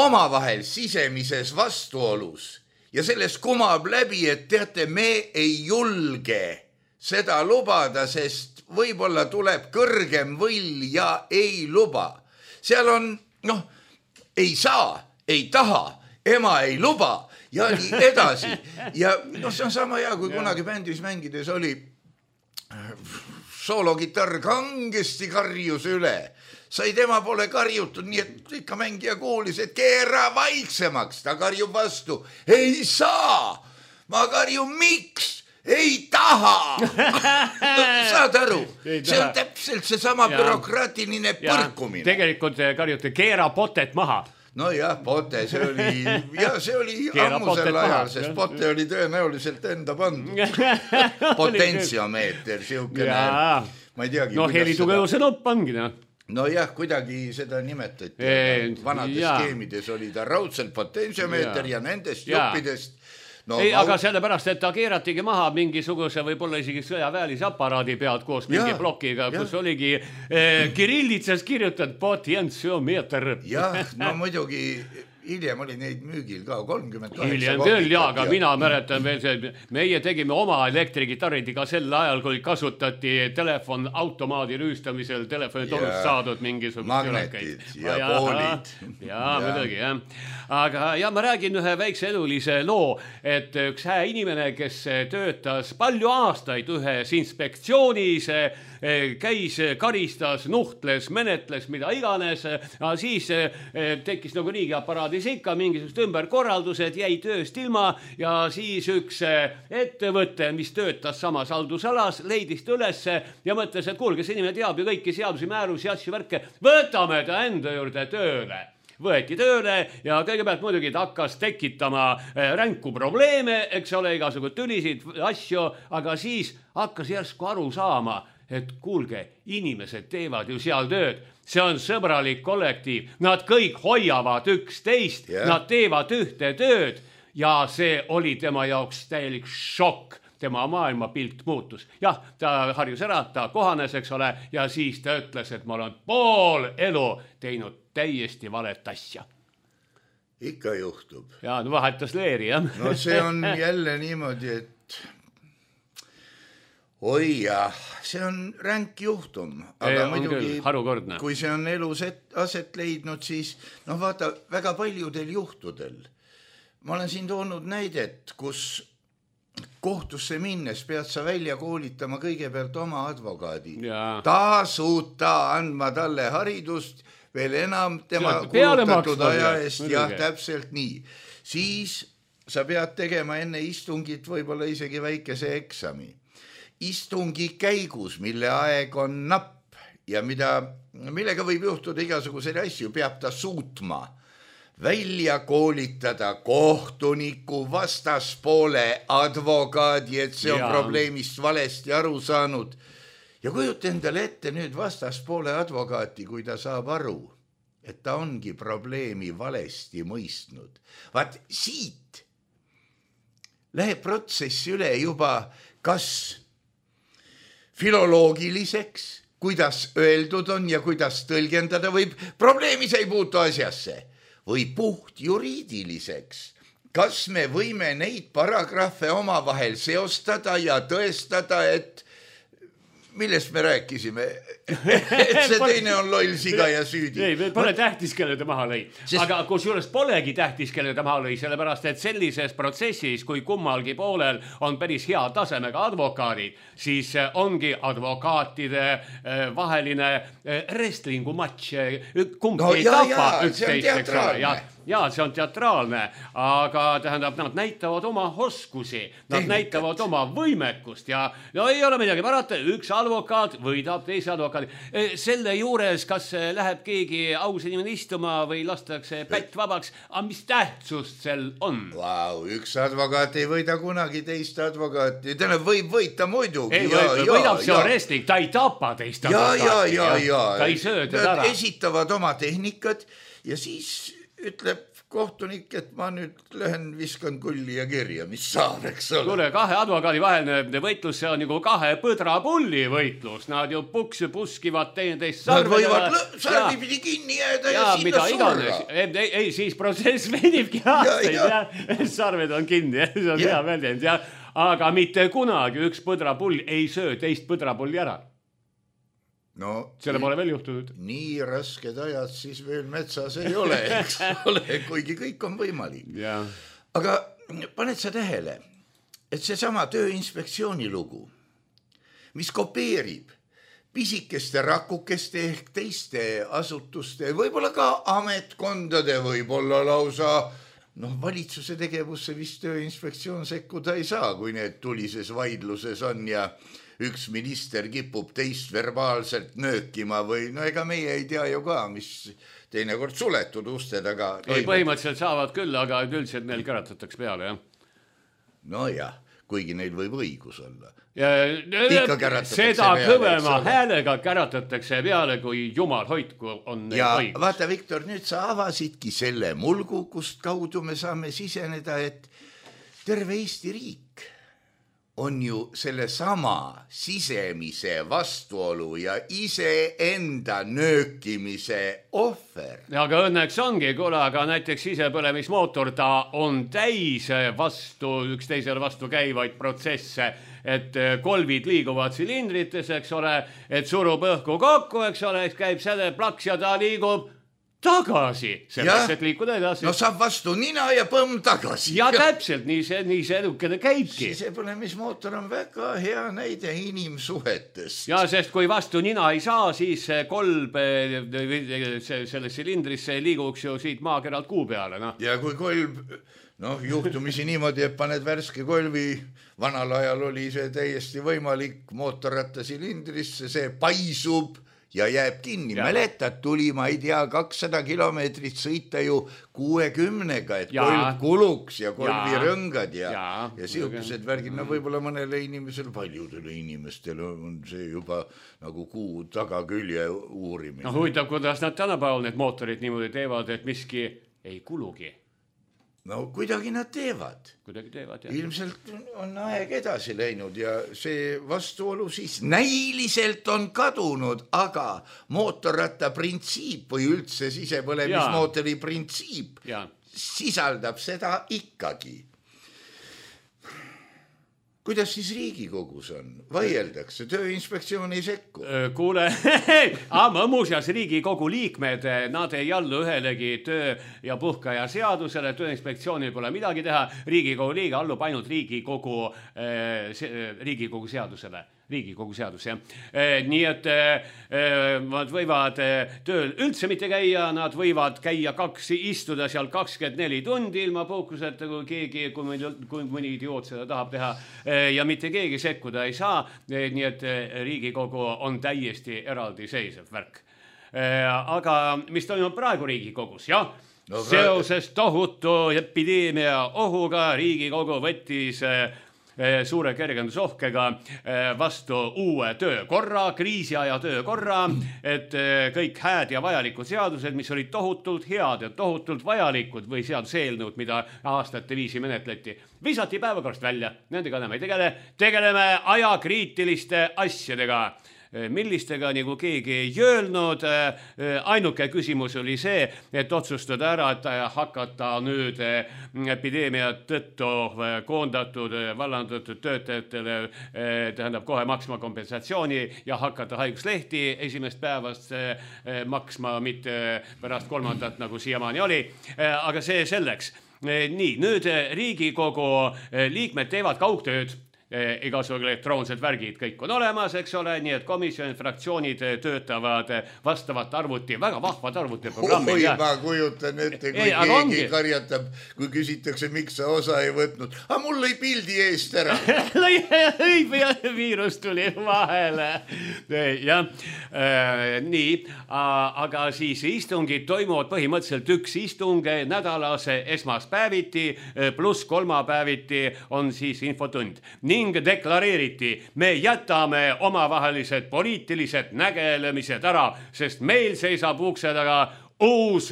omavahel sisemises vastuolus ja sellest kumab läbi, et teate, me ei julge seda lubada, sest võib-olla tuleb kõrgem võll ja ei luba. Seal on, ei saa, ei taha, ema ei luba ja nii edasi. Ja see on sama hea, kui kunagi bändis mängides oli soologitarr kangesti karjus üle. Sai tema pole karjutud, nii et ikka mängija kuulis, et keera vaiksemaks. Ta karjub vastu. Ei saa! Ma karjun miks? Ei taha! Saad aru? See on täpselt see sama bürokraatiline põrkumine. Tegelikult karjute keera potet maha. Nojah, Pote, see oli ammusel ajal, sest Pote oli tõenäoliselt enda pandud. Potentsiomeeter, siukene, ma ei teagi. No helitugevuse nopp ongi, noh. Nojah, kuidagi seda nimetati. Vanades skeemides oli ta raudselt potentsiomeeter ja nendest juppidest. No, ei, aga sellepärast, et ta keeratigi maha mingisuguse võib-olla isegi sõjaväelise aparaadi pealt koos mingi plokiga, kus oligi kirillitsas kirjutatud potentsiomeeter. Jah, no muidugi hiljem oli neid müügil ka 38. Hiljem küll, aga mina mäletan veel see, meie tegime oma elektrigitarridiga sel ajal, kui kasutati telefon automaadi rüüstamisel telefonitorust saadud mingisugust magnetid ja poolid. Jaa, muidugi, jah. Aga ma räägin ühe väikse elulise loo, et üks hää inimene, kes töötas palju aastaid ühes inspektsioonis, käis, karistas, nuhtles, menetles, mida iganes, siis tekkis nagu riigiaparaadis ikka mingisugust ümberkorraldused, jäi tööst ilma ja siis üks ettevõte, mis töötas samas haldusalas, leidis ta ülesse ja mõtles, et kuulge, see inimene teab ju kõiki seadusi, määrusi, asju, värke, võtame ta enda juurde tööle. Võeti tööle ja kõigepealt muidugi ta hakkas tekitama ränku probleeme, eks ole, igasugused tülisid, asju, aga siis hakkas järsku aru saama, et kuulge, inimesed teevad ju seal tööd, see on sõbralik kollektiiv, nad kõik hoiavad üksteist, nad teevad ühte tööd ja see oli tema jaoks täielik šokk. Tema maailmapilt muutus. Jah, ta harjus ära, ta kohanes, eks ole, ja siis ta ütles, et ma olen pool elu teinud täiesti valet asja. Ikka juhtub. Ja, no vahetas leeri, jah. No see on jälle niimoodi, et oi jah, see on ränk juhtum. Aga muidugi, kui see on elus aset leidnud, siis vaata, väga paljudel juhtudel. Ma olen siin toonud näidet, kus kohtusse minnes pead sa välja koolitama kõigepealt oma advokaadi. Tasuta andma talle haridust, veel enam tema kulutatud aja eest, jah, täpselt nii. Siis sa pead tegema enne istungit võib-olla isegi väikese eksami. Istungi käigus, mille aeg on napp ja millega võib juhtuda igasuguseid asju, peab ta suutma välja koolitada kohtuniku, vastaspoole advokaadi, et see on probleemist valesti aru saanud. Ja kujuta endale ette nüüd vastaspoole advokaati, kui ta saab aru, et ta ongi probleemi valesti mõistnud. Vaat siit läheb protsess üle juba kas filoloogiliseks, kuidas öeldud on ja kuidas tõlgendada võib, probleemis ei puutu asjasse. Või puht juriidiliseks. Kas me võime neid paragrahve omavahel seostada ja tõestada, et millest me rääkisime, et see teine on loll siga ja süüdi. Ei, pole tähtis, kelle ta maha lõi. Aga kus juures polegi tähtis, kelle ta maha lõi, sellepärast, et sellises protsessis, kui kummalgi poolel on päris hea tasemega advokaadid, siis ongi advokaatide vaheline wrestlingu matš, kumb ei tapa üksteist. Ja see on teatraalne, aga tähendab, nad näitavad oma oskusi, nad näitavad oma võimekust ja ei ole midagi parata, üks advokaat võidab teise advokaadi. Selle juures, kas läheb keegi aus inimene istuma või lastakse pätt vabaks, aga mis tähtsust sel on? Vau, üks advokaat ei võida kunagi teist advokaati, täna võib võita muidugi. Ei, võidab see on wrestling, ta ei tapa teist advokaati. Ta ei söö teda ära. Nad esitavad oma tehnikad ja siis ütleb kohtunik, et ma nüüd lähen viskan kulli ja kirja, mis saab, eks ole. Kuule, kahe advokaadi vaheline võitlus, see on nagu kahe põdrapulli võitlus. Nad ju puskivad teineteist sarvedele. Nad võivad sarvipidi kinni jääda ja sinna surra. Ei, siis protsess venibki aastaid. Sarved on kinni, see on hea väljend. Aga mitte kunagi üks põdrapull ei söö teist põdrapulli ära. No, selle pole veel juhtunud. Nii rasked ajad siis veel metsas ei ole, eks ole, kuigi kõik on võimalik. Aga paned sa tähele, et seesama Tööinspektsiooni lugu, mis kopeerib pisikeste rakukeste ehk teiste asutuste, võib-olla ka ametkondade, võib-olla lausa valitsuse tegevusse vist Tööinspektsioon sekkuda ei saa, kui need tulises vaidluses on ja üks minister kipub teist verbaalselt nöökima või no ega meie ei tea ju ka, mis teinekord suletud uste taga. Ei, põhimõtteliselt saavad küll, aga üldiselt neil käratatakse peale, jah. No jah, kuigi neil võib õigus olla. Seda kõvema häälega käratatakse peale, kui jumal hoidku on neil õigus. Ja vaata, Viktor, nüüd sa avasidki selle mulgu, kust kaudu me saame siseneda, et terve Eesti riik on ju selle sama sisemise vastuolu ja iseenda nöökimise ohver. Aga õnneks ongi, kuule, aga näiteks sisepõlemismootor, ta on täis üksteisele vastu käivaid protsesse, et kolvid liiguvad silindrites, eks ole, et surub õhku kokku, eks ole, käib selle plaks ja ta liigub tagasi, selleks, et liikuda edasi. No saab vastu nina ja põmm tagasi. Ja täpselt, nii see edukene käibki. Sisepõlemismootor on väga hea näide inimsuhetest. Ja sest kui vastu nina ei saa, siis kolb selle silindrisse liiguks ju siit maakeralt kuu peale. No. Ja kui kolb, juhtumisi niimoodi, et paned värske kolvi, vanal ajal oli see täiesti võimalik mootorratta silindrisse, see paisub ja jääb kinni. Mäletad, tuli, ma ei tea, 200 kilomeetrit sõita ju 60-ga, et kolb kuluks ja kolvirõngad ja siukused värgid. No võib-olla mõnele inimesel, paljudele inimestele on see juba nagu kuu tagakülje uurimine. No huvitav, kuidas nad tänapäeval need mootorid niimoodi teevad, et miski ei kulugi. No kuidagi nad teevad. Jah. Ilmselt on aeg edasi läinud ja see vastuolu siis näiliselt on kadunud, aga mootorratta printsiip või üldse sisepõlemismootori printsiip sisaldab seda ikkagi. Kuidas siis Riigikogus on? Vaieldakse, Tööinspektsioon ei sekku. Kuule, muuseas Riigikogu liikmed, nad ei allu ühelegi töö- ja puhkaja seadusele, Tööinspektsioonil pole midagi teha, Riigikogu liige allub ainult Riigikogu seadusele. Riigikogu seadus, jah. Nii et nad võivad tööl üldse mitte käia, nad võivad käia istuda seal 24 tundi ilma puhkuseta, kui mõni idioot seda tahab teha ja mitte keegi sekkuda ei saa, nii et Riigikogu on täiesti eraldiseisev värk. Aga mis toimub praegu Riigikogus, jah? Seoses tohutu epideemia ohuga Riigikogu võttis suure kergendusohkega vastu uue töökorra, kriisiaja töökorra, et kõik hääd ja vajalikud seadused, mis olid tohutult head ja tohutult vajalikud või seaduseelnõud, mida aastate viisi menetleti, visati päevakorrast välja. Nendega enam ei tegeleme ajakriitiliste asjadega. Millistega nagu keegi ei öelnud, ainuke küsimus oli see, et otsustada ära, et hakata nüüd epideemiat tõttu koondatud, vallandatud töötajatele, tähendab kohe maksma kompensatsiooni ja hakata haiguslehti esimest päevast maksma, mitte pärast 3. nagu siiamaani oli, aga see selleks. Nii, nüüd Riigikogu liikmed teevad kaugtööd. Igasugused elektroonsed värgid kõik on olemas, eks ole, nii et komisjonid, fraktsioonid töötavad vastavat arvuti, väga vahvad arvutiprogrammid. Oi, ma kujutan ette, kui keegi karjatab, kui küsitakse, miks sa osa ei võtnud. Mul lõi pildi eest ära. Viirus tuli vahele. Jah, nii, aga siis istungid toimuvad põhimõtteliselt üks istung nädalas esmaspäeviti pluss kolmapäeviti on siis infotund. Ning deklareeriti, me jätame omavahelised poliitilised nägelemised ära, sest meil seisab ukse taga uus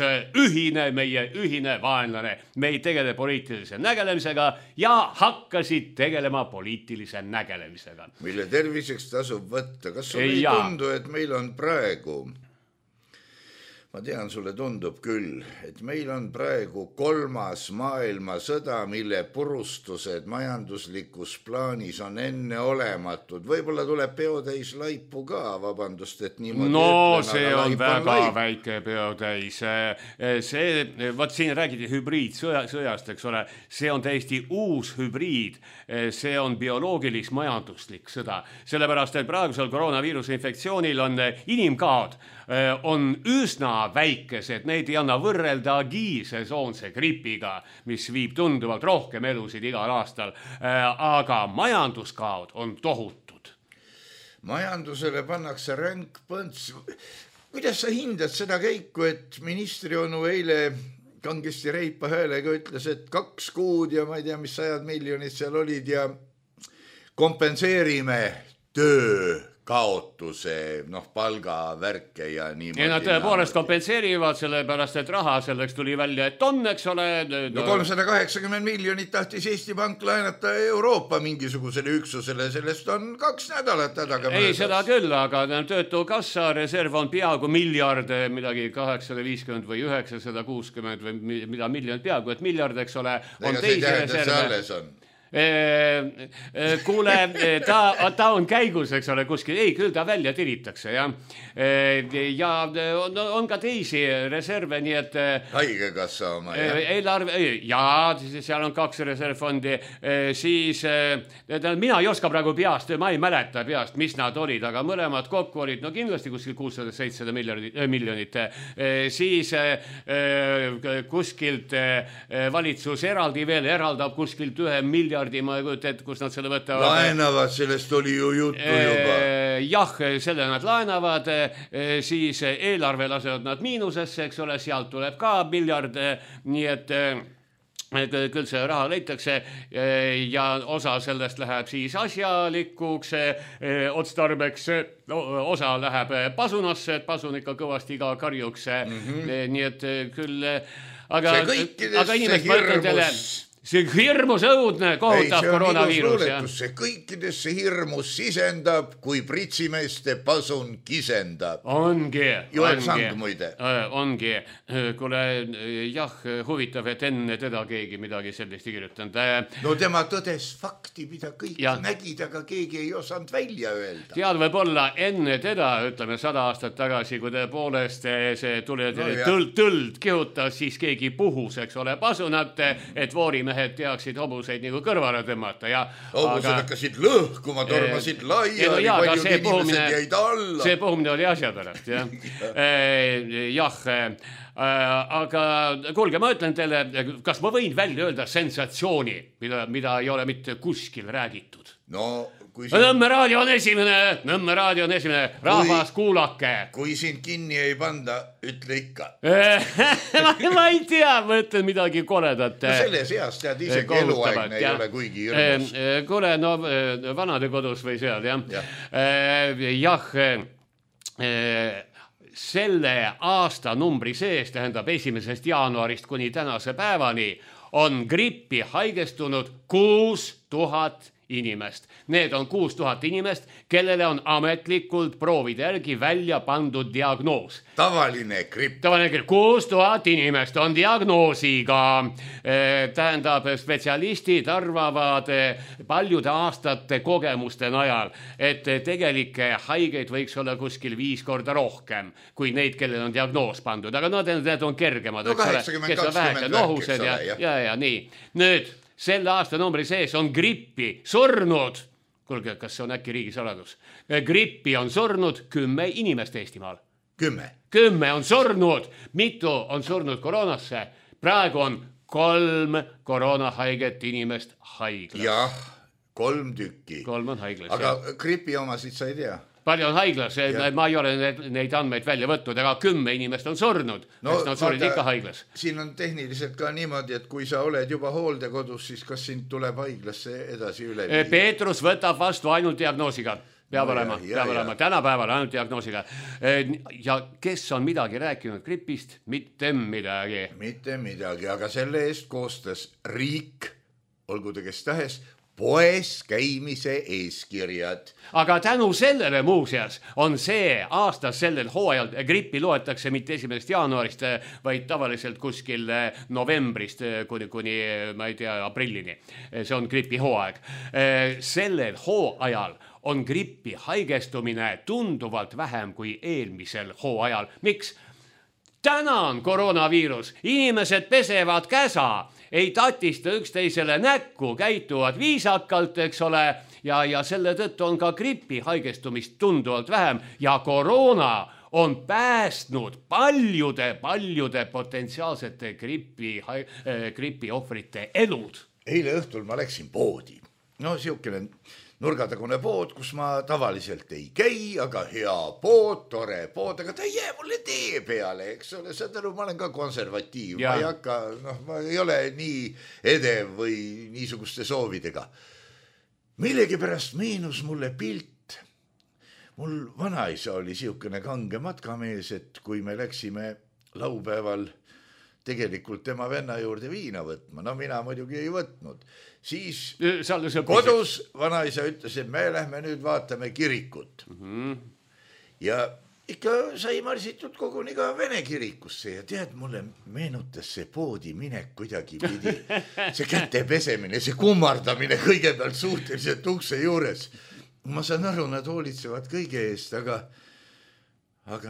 meie ühine vaenlane. Me ei tegele poliitilise nägelemisega ja hakkasid tegelema poliitilise nägelemisega. Mille terviseks tasub võtta. Kas sulle ei tundu, et meil on praegu... Ma tean, sulle tundub küll, et meil on praegu 3. maailmasõda, mille purustused majanduslikus plaanis on enneolematud. Võib-olla tuleb peotäis laipu ka, vabandust, et niimoodi ütlen. See on väga väike peotäis. Võt siin räägiti hübriidsõjast, eks ole. See on täiesti uus hübriid. See on bioloogilis-majanduslik sõda. Sellepärast, et praegusel koroonaviiruse infektsioonil on inimkaod on üsna väikesed, neid ei anna võrrelda agiilsesoonse gripiga, mis viib tunduvalt rohkem elusid igal aastal, aga majanduskaod on tohutud. majandusele pannakse ränk põnts. Kuidas sa hindad seda käiku, et ministri onu eile kangesti reipa häälega ütles, et 2 kuud ja ma ei tea, mis 100 miljonit seal olid ja kompenseerime töö kaotuse, palgavärke ja niimoodi. Ja nad tõepoolest kompenseerivad, sellepärast, et raha selleks tuli välja, et on, eks ole. No 380 miljonit tahtis Eesti Pank laenata Euroopa mingisugusele üksusele, sellest on 2 nädalat hädaga möödas. Ei, seda küll, aga töötukassa reserv on peaaegu miljard, midagi 850 või 960 või mida miljon peaaegu, et miljard, eks ole, on teisi reserve. Kuule, ta on käigus, eks ole, kuskil, ei, küll ta välja tiritakse, jah. Ja on ka teisi reserve, nii et Haigekassa oma, jah. Eelarve, jaa, seal on 2 reservfondi, siis mina ei oska praegu peast, ma ei mäleta peast, mis nad olid, aga mõlemad kokku olid, no kindlasti kuskil 600-700 miljonit, siis kuskilt valitsus eraldi veel eraldab kuskilt 1 miljardi, ma ei kujuta, et kus nad selle võtavad. Laenavad, sellest oli ju juttu juba. Jah, selle nad laenavad, siis eelarve lasevad nad miinusesse, eks ole, sealt tuleb ka miljard, nii et küll see raha leitakse ja osa sellest läheb siis asjalikuks otstarbeks, osa läheb pasunasse, et pasun ikka kõvasti ka karjuks, nii et küll, aga inimest mõtlen teile, see hirmus õudne, kohutav koroonaviirus. See kõikidesse hirmus sisendab, kui pritsimeeste pasun kisendab. Ongi. Joel Sang muide. Ongi. Kuule, jah, huvitav, et enne teda keegi midagi sellist ei kirjutanud. No tema tõdes fakti, mida kõik nägid, aga keegi ei osanud välja öelda. Tead, võib-olla enne teda, ütleme 100 aastat tagasi, kui tõepoolest see tõld kihutas, siis keegi puhus, eks ole, pasunat, et voorimehed teaksid hobuseid nagu kõrvale tõmmata. Hobused hakkasid lõhkuma, tormasid laiali, paljud inimesed jäid alla. See puhumine oli asja pärast, jah. Jah, aga kuulge, ma ütlen teile, kas ma võin välja öelda sensatsiooni, mida ei ole mitte kuskil räägitud? No, Nõmme raadio on esimene, rahvas kuulake. Kui sind kinni ei panda, ütle ikka. Ma ei tea, ma ütlen midagi koledat. No selles eas tead, isegi eluaegne ei ole kuigi hirmus. Kuule, no vanade kodus või seal, jah. Jah, selle aastanumbri sees, tähendab 1. jaanuarist kuni tänase päevani, on grippi haigestunud 6000 inimest. Need on 6000 inimest, kellele on ametlikult proovide järgi välja pandud diagnoos. Tavaline gripp. 6000 inimest on diagnoosiga. Tähendab, spetsialistid arvavad paljude aastate kogemuste najal, et tegelikke haigeid võiks olla kuskil 5 korda rohkem kui neid, kellel on diagnoos pandud. Aga need on kergemad. No 80-20 nohused ja nii. Nüüd selle aastanumbri sees on grippi surnud, kuulge, kas see on äkki riigisaladus, grippi on surnud 10 inimest Eestimaal. 10 on surnud, mitu on surnud koroonasse, praegu on 3 koroonahaiget inimest haiglas. Jah, 3 tükki. 3 on haiglas. Aga gripi omasid sa ei tea? Palju on haiglas, ma ei ole neid andmeid välja võtnud, aga 10 inimest on surnud, sest nad surid ikka haiglas. Siin on tehniliselt ka niimoodi, et kui sa oled juba hooldekodus, siis kas sind tuleb haiglasse edasi üle? Peetrus võtab vastu ainult diagnoosiga. Peab olema, tänapäeval ainult diagnoosiga. Ja kes on midagi rääkinud gripist? Mitte midagi. Mitte midagi, aga selle eest koostas riik, olgu ta kes tahes, poes käimise eeskirjad. Aga tänu sellele muuseas on see aastas sellel hooajal, grippi loetakse mitte 1. jaanuarist, vaid tavaliselt kuskil novembrist kuni ma ei tea, aprillini. See on gripi hooaeg. Sellel hooajal on grippi haigestumine tunduvalt vähem kui eelmisel hooajal. Miks? Täna on koroonaviirus, inimesed pesevad käsa, ei tatista üksteisele näkku, käituvad viisakalt, eks ole, ja selle tõttu on ka gripi haigestumist tunduvalt vähem ja koroona on päästnud paljude potentsiaalsete gripi ohvrite elud. Eile õhtul ma läksin poodi. No siukene nurgatagune pood, kus ma tavaliselt ei käi, aga hea pood, tore pood, aga ta ei jää mulle tee peale, eks ole, saad aru, ma olen ka konservatiiv, ma ei hakka, ma ei ole nii edev või niisuguste soovidega. Millegipärast meenus mulle pilt. Mul vanaisa oli siukene kange matkamees, et kui me läksime laupäeval tegelikult tema venna juurde viina võtma, no mina muidugi ei võtnud, siis kodus vanaisa ütles, et me lähme nüüd vaatame kirikut. Ja ikka sai marsitud koguni ka Vene kirikusse ja tead, mulle meenutas see poodi minek kuidagi pidi, see käte pesemine, see kummardamine kõigepealt suhteliselt ukse juures. Ma saan aru, nad hoolitsevad kõige eest, aga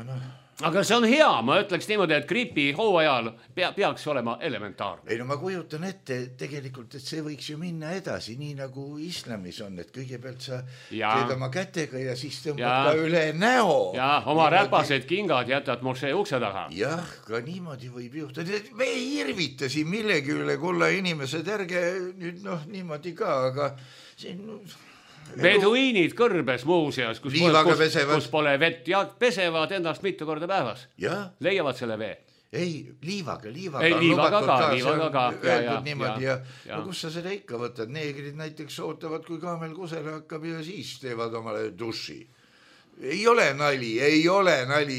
noh. Aga see on hea, ma ütleks niimoodi, et gripi hooajal peaks olema elementaarne. Ei no ma kujutan ette tegelikult, et see võiks ju minna edasi, nii nagu islamis on, et kõigepealt sa teed oma kätega ja siis tõmbad ka üle näo. Ja oma räpased kingad jätad mošee ukse taha. Jah, ka niimoodi võib juhtuda. Me ei hirvita siin millegi üle, kulla inimesed, ärge nüüd niimoodi ka, aga siin... Beduiinid kõrbes muuseas, kus pole vett ja pesevad ennast mitu korda päevas. Leiavad selle vee. Ei, liivaga ka. No kus sa seda ikka võtad? Neegrid näiteks ootavad, kui kaamel kusele hakkab ja siis teevad omale duši. Ei ole nali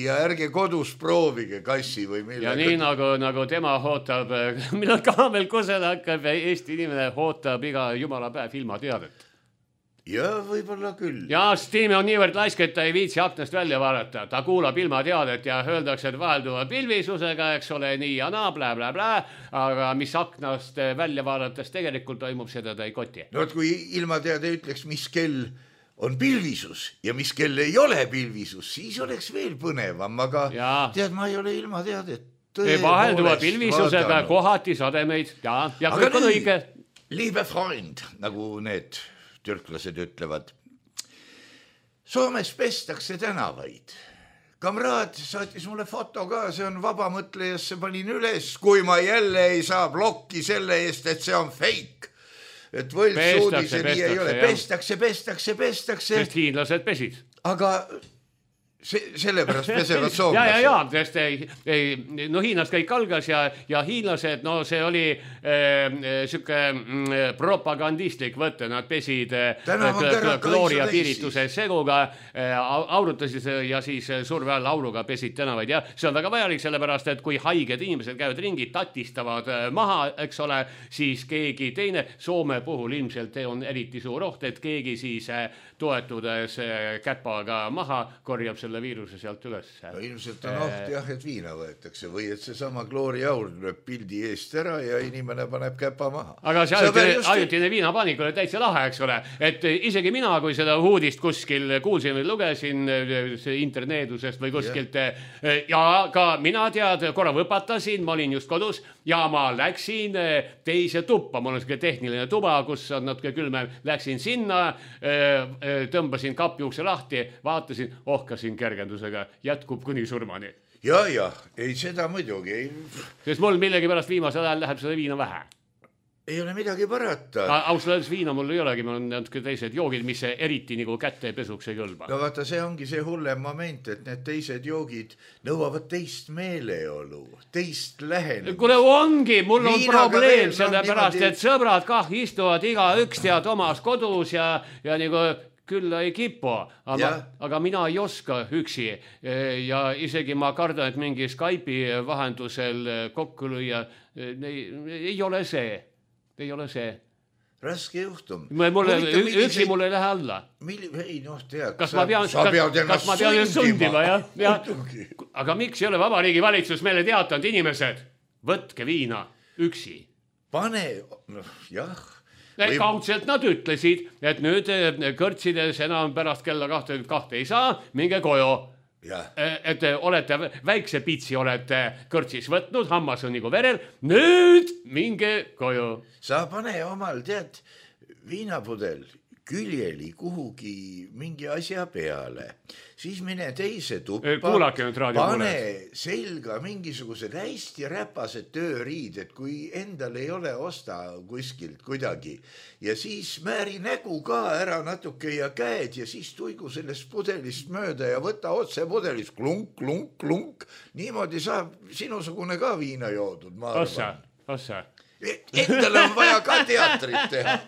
ja ärge kodus proovige kassi või millega. Ja nii nagu tema ootab, millal kaamel kusele hakkab ja Eesti inimene ootab iga jumala päev ilma teadet. Ja võib-olla küll. Ja Stiimi on niivõrd laisk, et ta ei viitsi aknast välja vaadata. Ta kuulab ilma teadet ja öeldakse, et vahelduva pilvisusega, eks ole, nii ja naa, blä. Aga mis aknast välja vaadates tegelikult toimub, seda ta ei koti. No kui ilma teade ütleks, mis kell on pilvisus ja mis kell ei ole pilvisus, siis oleks veel põnevam, aga tead, ma ei ole ilma teadet. Vahelduva pilvisusega kohati sademeid ja kõik on õige. Liebe Freund, nagu need... türklased ütlevad. Soomes pestakse tänavaid. Kamraad saatis mulle foto ka, see on vabamõtlejasse panin üles, kui ma jälle ei saa blokki selle eest, et see on fake. Et võltsuudise nii ei ole. Pestakse. Sest hiinlased pesid. Aga... Sellepärast pesevad soomlased. Hiinas kõik algas ja hiinlased, see oli süke propagandistlik võtte, nad pesid klooria piirituse seguga, aurutasid ja siis surve all auruga pesid tänavaid ja see on väga vajalik, sellepärast, et kui haiged inimesed käivad ringi, tatistavad maha, eks ole, siis keegi teine, Soome puhul ilmselt on eriti suur oht, et keegi siis toetudes käpaga maha korjab selle viiruse sealt üles. No ilmselt on oht jah, et viina võetakse või et see sama klooriaur tuleb pildi eest ära ja inimene paneb käpa maha. Aga see ajutine viinapaanik oli täitsa lahe, eks ole, et isegi mina, kui seda uudist kuskil kuulsin või lugesin interneedusest või kuskilt ja ka mina tead, korra võpatasin, ma olin just kodus ja ma läksin teise tuppa, mul on selline tehniline tuba, kus on natuke külmem, läksin sinna, tõmbasin kapi ukse lahti, vaatasin, ohkasin kergendusega, jätkub kuni surmani. Ja, ei seda muidugi. Sest mul millegipärast viimasel ajal läheb seda viina vähe. Ei ole midagi parata. Ausalt viina mul ei olegi, mul on natuke teised joogid, mis eriti nagu kätte pesuks ei kõlba. No vaata, see ongi see hullem moment, et need teised joogid nõuavad teist meeleolu, teist lähenemist. Kuule ongi, mul on probleem sellepärast, et sõbrad kah istuvad iga üks tead omas kodus ja nagu küll ei kipu, aga mina ei oska üksi ja isegi ma kardan, et mingi Skype'i vahendusel kokku lüüa ei ole see. Ei ole see. Raske juhtum. Üksi mul ei lähe alla. Ei, tead. Kas ma pean sundima, jah? Aga miks ei ole Vabariigi valitsus meile teatanud inimesed? Võtke viina üksi. Pane, jah. Kaudselt nad ütlesid, et nüüd kõrtsides enam pärast kella 22 ei saa, minge koju. Et olete väikse pitsi olete kõrtsis võtnud, hammas on nagu verel, nüüd minge koju. Sa pane omal, tead, viinapudel küljeli kuhugi mingi asja peale, siis mine teise tuppa, Kuulake nüüd raadiokuulajad. pane selga mingisugused hästi räpased tööriided, kui endal ei ole osta kuskilt kuidagi ja siis määri nägu ka ära natuke ja käed ja siis tuigu sellest pudelist mööda ja võta otse pudelist klunk, klunk, klunk. Niimoodi saab sinusugune ka viina joodud, ma arvan. Ossa. Endale on vaja ka teatrit teha.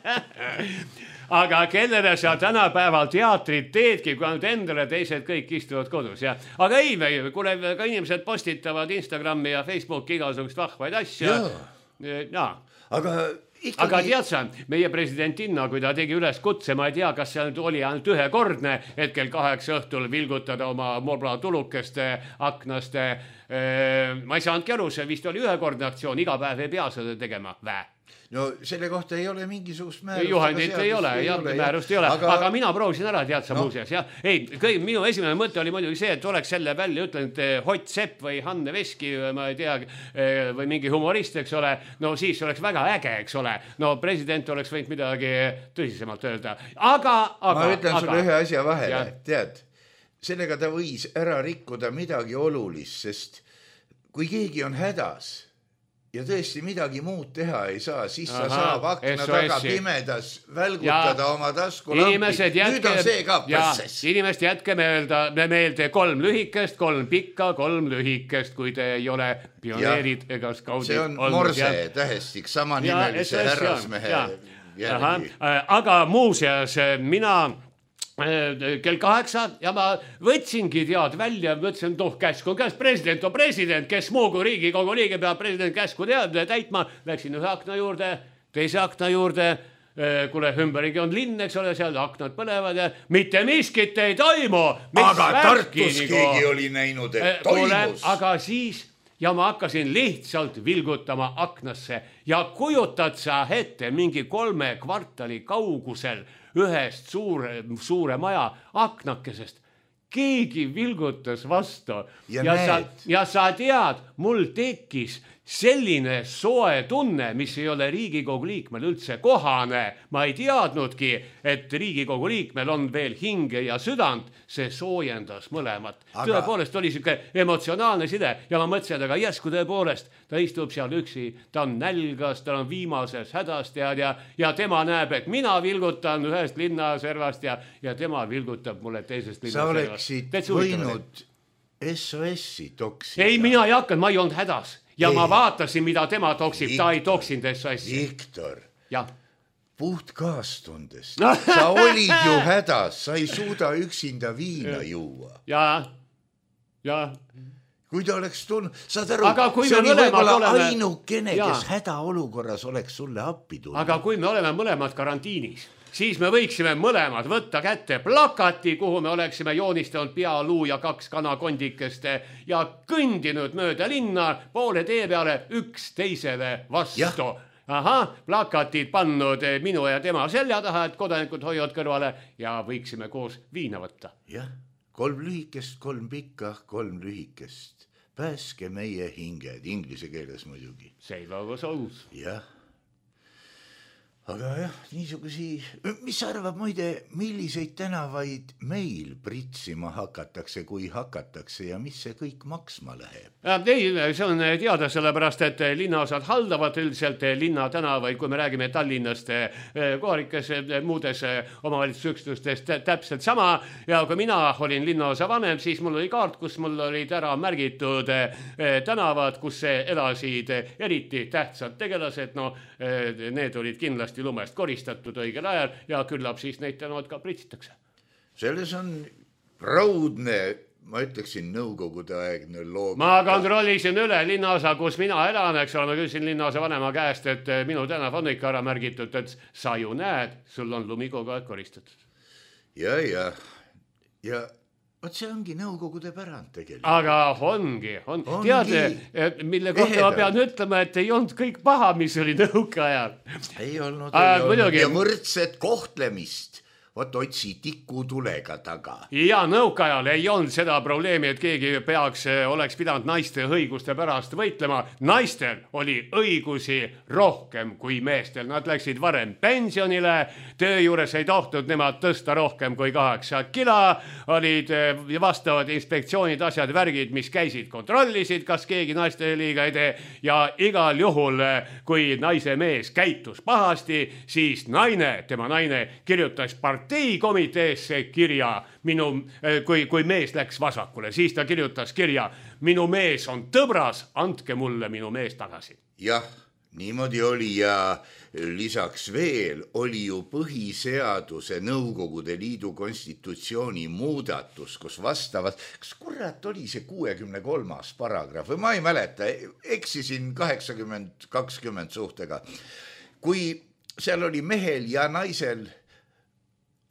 Aga kellele sa tänapäeval teatrit teedki, kui ainult endale, teised kõik istuvad kodus. Ja? Aga ei, kuule, ka inimesed postitavad Instagrami ja Facebooki igasugust vahvaid asja. Ja. Aga tead sa, meie presidentinna, kui ta tegi üles kutse, ma ei tea, kas see oli ainult ühekordne, et kell 8 õhtul vilgutada oma mobla tulukeste aknast. Ma ei saanudki aru, see vist oli ühekordne aktsioon, iga päev ei pea seda tegema. No selle kohta ei ole mingisugust määrust. Juhendit ei ole, määrust ei ole. Aga mina proovisin ära, tead sa muuseas. Ei, minu esimene mõte oli muidugi see, et oleks selle välja ütlenud Hott Sepp või Hanne Veski, ma ei tea, või mingi humorist, eks ole. No siis oleks väga äge, eks ole. No president oleks võinud midagi tõsisemalt öelda. Ma ütlen sulle ühe asja vahele, tead. Sellega ta võis ära rikkuda midagi olulist, sest kui keegi on hädas ja tõesti midagi muud teha ei saa, siis sa saab akna taga pimedas välgutada oma taskulampi. Nüüd on see ka protsess. Inimesed jätke meelde 3 lühikest, 3 pikka, 3 lühikest, kui te ei ole pioneerid ega skaudid. See on morse tähestik, samanimelise härrasmehe järgi. Aga muuseas, mina kell 8 ja ma võtsingi tead välja, mõtlesin, käsk on käest, president on president, kes muu kui Riigikogu liige peab president käsku täitma. Läksin ühe akna juurde, teise akna juurde, kuule ümberigi on linn, eks ole, seal aknad põlevad ja mitte miskit ei toimu. Aga Tartus keegi oli näinud, et toimus. Aga siis ja ma hakkasin lihtsalt vilgutama aknasse ja kujutad sa ette mingi 3 kvartali kaugusel ühest suure maja aknakesest. Keegi vilgutas vastu ja sa tead, mul tekkis selline soe tunne, mis ei ole Riigikogu liikmel üldse kohane. Ma ei teadnudki, et Riigikogu liikmel on veel hinge ja südant, see soojendas mõlemat. Tõepoolest oli siuke emotsionaalne side ja ma mõtlesin, aga järsku tõepoolest, ta istub seal üksi, ta on nälgas, ta on viimases hädas ja tema näeb, et mina vilgutan ühest linnaservast ja tema vilgutab mulle teisest linnaservast. Sa oleksid võinud SOS-i toksida. Ei, mina ei hakanud, ma ei olnud hädas. Ja ma vaatasin, mida tema toksib, ta ei toksinud SOS-i. Viktor, puht kaastundest. Sa olid ju hädas, sa ei suuda üksinda viina juua. Ja. Kui ta oleks tulnud, saad aru, see oli võib-olla ainukene, kes hädaolukorras oleks sulle appi tulnud. Aga kui me oleme mõlemad karantiinis, siis me võiksime mõlemad võtta kätte plakati, kuhu me oleksime joonistanud pea, luu ja 2 kanakondikest ja kõndinud mööda linna poole tee peale üksteisele vastu. Plakatid pannud minu ja tema selja taha, et kodanikud hoiavad kõrvale ja võiksime koos viina võtta. Jah, 3 lühikest, 3 pikka, 3 lühikest. Pääske meie hinged, inglise keeles muidugi. Save our souls. Jah. Aga jah, niisugusi, mis arvab muide, milliseid tänavaid meil pritsima hakatakse, kui hakatakse ja mis see kõik maksma läheb? Ei, see on teada sellepärast, et linnaosad haldavad üldiselt linna tänavaid, kui me räägime Tallinnast, kohalikes muudes omavalitsusüksustes täpselt sama. Ja kui mina olin linnaosa vanem, siis mul oli kaart, kus mul olid ära märgitud tänavad, kus elasid eriti tähtsad tegelased. No, need olid kindlasti lumest koristatud õigel ajal ja küllap siis neid tänavad ka pritsitakse. Selles on raudne, ma ütleksin, nõukogude aegne loogika. Ma kontrollisin üle linnaosa, kus mina elan, eks ole, ma küsisin linnaosa vanema käest, et minu tänav on ikka ära märgitud, et sa ju näed, sul on lumi kogu aeg koristatud. Ja Vot see ongi nõukogude pärand tegelikult. Aga ongi. Tead, mille kohta ma pean ütlema, et ei olnud kõik paha, mis oli nõuke ajal. Ei olnud. Ja võrdset kohtlemist vot otsi tikutulega taga. Ja nõukaajal ei olnud seda probleemi, et keegi oleks pidanud naiste õiguste pärast võitlema. Naistel oli õigusi rohkem kui meestel. Nad läksid varem pensionile, töö juures ei tohtud nemad tõsta rohkem kui 8 kilo, olid vastavad inspektsioonid, asjad, värgid, mis käisid, kontrollisid, kas keegi naiste liiga ei tee ja igal juhul, kui naise mees käitus pahasti, siis tema naine kirjutas parteikomiteesse kirja, kui mees läks vasakule, siis ta kirjutas kirja, minu mees on tõbras, andke mulle minu mees tagasi. Jah, niimoodi oli ja lisaks veel oli ju põhiseaduse Nõukogude Liidu konstitutsiooni muudatus, kus vastavas, kas kurat oli see 63. paragrahv või ma ei mäleta, eksisin 80-20 suhtega, kui seal oli mehel ja naisel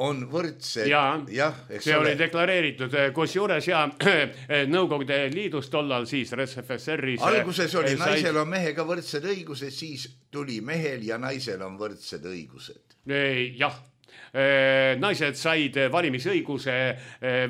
on võrdsed. See oli deklareeritud, kus juures ja Nõukogude Liidus tollal siis RSFSR-is. Alguses oli naisel on mehega võrdsed õigused, siis tuli mehel ja naisel on võrdsed õigused. Jah. Naised said valimisõiguse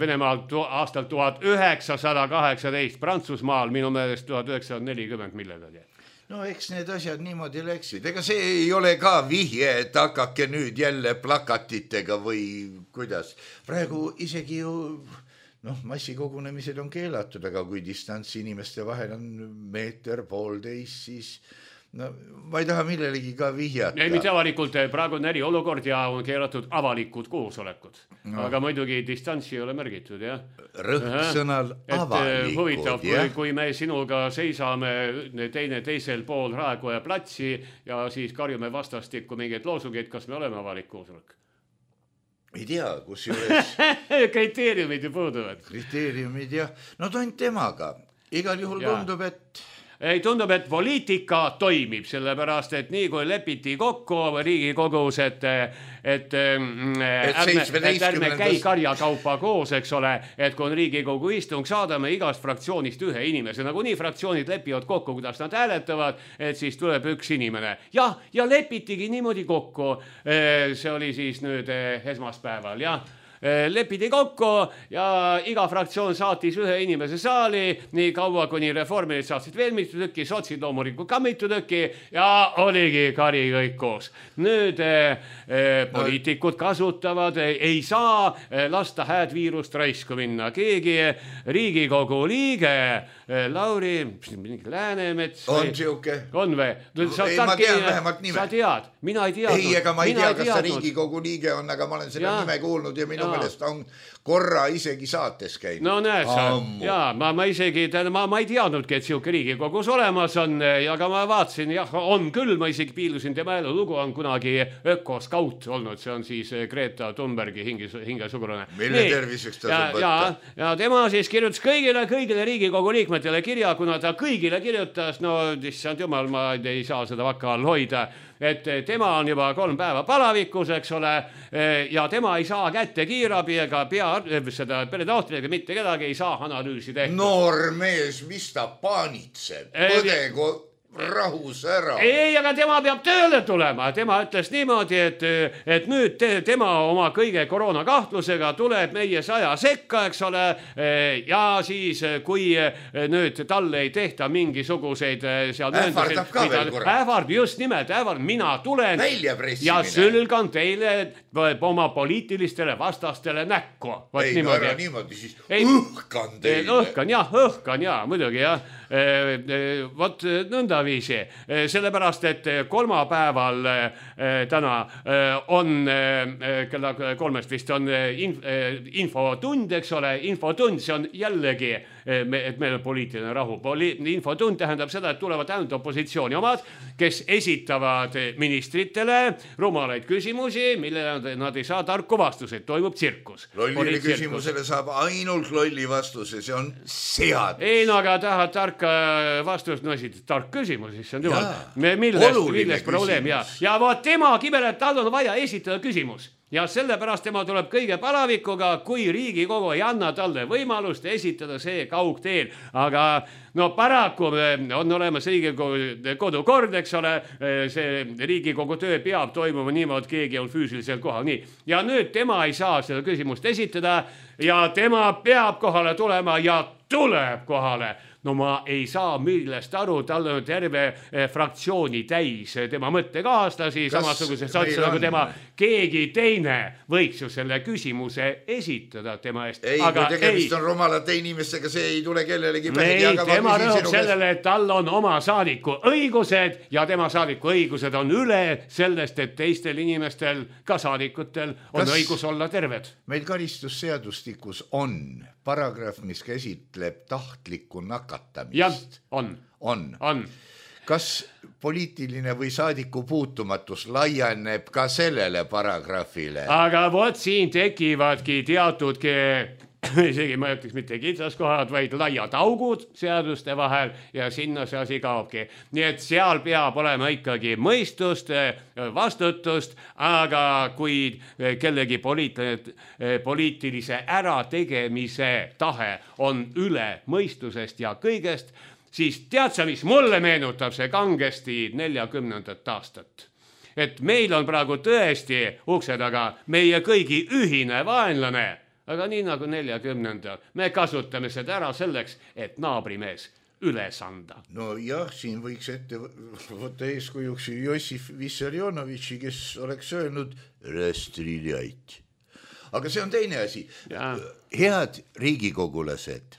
Venemaalt aastal 1918, Prantsusmaal minu meelest 1940 millegagi. No eks need asjad niimoodi läksid. Ega see ei ole ka vihje, et hakake nüüd jälle plakatitega või kuidas. Praegu isegi ju massikogunemised on keelatud, aga kui distants inimeste vahel on 1,5 meetrit, siis ma ei taha millelegi ka vihjata. Ei, mitte avalikult, praegu on eriolukord ja on keelatud avalikud koosolekud. Aga muidugi distantsi ei ole märgitud, jah. Rõhksõnal avalikud, huvitav, kui me sinuga seisame teine teisel pool Raekoja platsi ja siis karjume vastastikku mingeid loosungeid, kas me oleme avalik koosolek? Ei tea, kus juures... Kriteeriumid ju puuduvad. Kriteeriumid, jah. No tont temaga. Igal juhul tundub, et... Tundub, et poliitika toimib, sellepärast, et nii kui lepiti kokku Riigikogus, et ärme käi karjakaupa koos, eks ole, et kui on Riigikogu istung, saadame igast fraktsioonist ühe inimese, nagu nii fraktsioonid lepivad kokku, kuidas nad hääletavad, et siis tuleb üks inimene. Ja lepitigi niimoodi kokku, see oli siis nüüd esmaspäeval, jah. Lepiti kokku ja iga fraktsioon saatis ühe inimese saali, nii kaua kuni reformid saatsid veel mitu tükki, sotsid loomulikult ka mitu tükki ja oligi kari kõik koos. Nüüd poliitikud kasutavad, ei saa lasta hääd viirust raisku minna. Keegi Riigikogu liige, Lauri Läänemets. On siuke? On või? Ma tean vähemalt nime. Sa tead, mina ei teadnud. Ei, ega ma ei tea, kas see Riigikogu liige on, aga ma olen selle nime kuulnud ja minu meelest on korra isegi saates käinud. No näed sa, ma isegi, ma ei teadnudki, et siuke Riigikogus olemas on, aga ma vaatasin, on küll, ma isegi piilusin tema lugu, on kunagi ökoskaut olnud, see on siis Greta Thunbergi hingesugune. Mille terviseks ta saab võtta? Ja tema siis kirjutas kõigile Riigikogu liikmetele kirja, kuna ta kõigile kirjutas, no issand jumal, ma ei saa seda vaka all hoida, et tema on juba 3 päeva palavikus, eks ole, ja tema ei saa kätte kiirabi ega seda peredohtriga, mitte kedagi ei saa analüüsi tehtud. Noor mees, mis ta paanitseb? Põdegu rahus ära. Ei, aga tema peab tööle tulema. Tema ütles niimoodi, et nüüd tema oma kõige koroonakahtlusega tuleb meie 100 sekka, eks ole, ja siis kui nüüd talle ei tehta mingisuguseid seal ähvardab ka veel korra. Just nimelt, mina tulen ja sülgan teile oma poliitilistele vastastele näkku. Ei, ära niimoodi siis õhkan teile. Õhkan, muidugi, jah. Vot nõnda viisi, sellepärast, et kolmapäeval täna on kella 3 vist on infotund, eks ole, infotund, see on jällegi, et meil on poliitiline rahu. Infotund tähendab seda, et tulevad ainult opositsiooni omad, kes esitavad ministritele rumalaid küsimusi, millele nad ei saa tarku vastuseid, toimub tsirkus. Lollile küsimusele saab ainult lolli vastuse, see on seadus. Ei, no aga tahad tarka vastust, no esit tark küsimus, siis on jumal. Millest probleem, ja vot tema kibel, et tal on vaja esitada küsimus. ja sellepärast tema tuleb kõige palavikuga, kui Riigikogu ei anna talle võimalust esitada see kaugteel. Aga no paraku on olemas Riigikogu kodukord, eks ole, see Riigikogu töö peab toimuma niimoodi, keegi on füüsiliselt kohal. Nii. Ja nüüd tema ei saa seda küsimust esitada ja tema peab kohale tulema ja tuleb kohale. No ma ei saa millest aru, tal on terve fraktsiooni täis tema mõttekaaslasi, samasuguse satsi nagu tema. Keegi teine võiks ju selle küsimuse esitada tema eest. Ei, kui tegemist on rumalate inimestega, see ei tule kellelegi pähe. Ei, tema rõhub sellele, et tal on oma saadiku õigused ja tema saadiku õigused on üle sellest, et teistel inimestel, ka saadikutel, on õigus olla terved. Meil karistusseadustikus on paragrahv, mis käsitleb tahtlikku nakatamist. Jah, on. Kas poliitiline või saadiku puutumatus laieneb ka sellele paragrahvile? Aga vot siin tekivadki teatudki, isegi ma ütleks mitte kitsaskohad, vaid laiad augud seaduste vahel ja sinna see asi kaobki. Nii et seal peab olema ikkagi mõistust, vastutust, aga kui kellegi poliitilise ärategemise tahe on üle mõistusest ja kõigest, siis tead sa, mis mulle meenutab see kangesti 40. aastat. Et meil on praegu tõesti ukse taga meie kõigi ühine vaenlane, aga nii nagu 40. me kasutame seda ära selleks, et naabrimees üles anda. No jah, siin võiks ette võtta eeskujuks Jossif Vissarionovitši, kes oleks öelnud rastriljait. Aga see on teine asi. Ja. Head riigikogulased,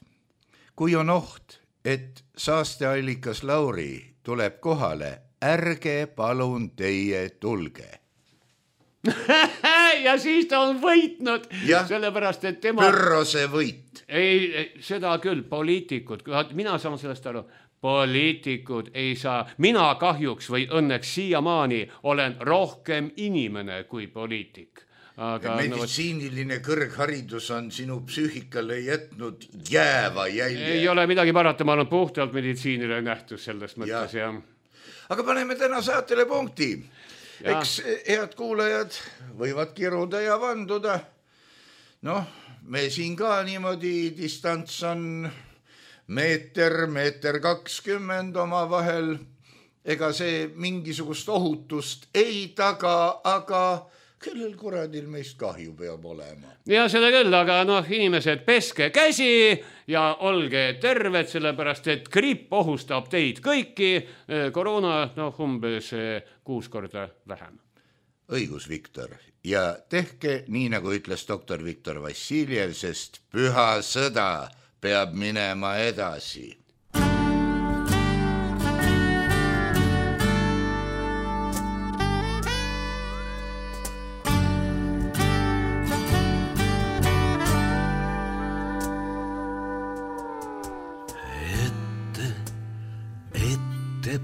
kui on oht, et saasteallikas Lauri tuleb kohale, ärge palun teie tulge. Ja siis ta on võitnud, sellepärast, et tema... Pürrose võit. Ei, seda küll, poliitikud, mina saan sellest aru, poliitikud ei saa, mina kahjuks või õnneks siiamaani olen rohkem inimene kui poliitik. Aga meditsiiniline kõrgharidus on sinu psüühikale jätnud jääva jälje. Ei ole midagi parata, ma olen puhtalt meditsiinile nähtus selles mõttes. Ja. Aga paneme täna saatele punkti. Eks head kuulajad võivad kiruda ja vanduda. Noh, me siin ka niimoodi distants on meeter 20 oma vahel. Ega see mingisugust ohutust ei taga, aga... kellel kuradil meist kahju peab olema. Ja seda küll, aga inimesed, peske käsi ja olge terved, sellepärast et gripp ohustab teid kõiki, koroona umbes 6 korda vähem. Õigus, Viktor. Ja tehke nii, nagu ütles doktor Viktor Vassiljev, sest püha sõda peab minema edasi.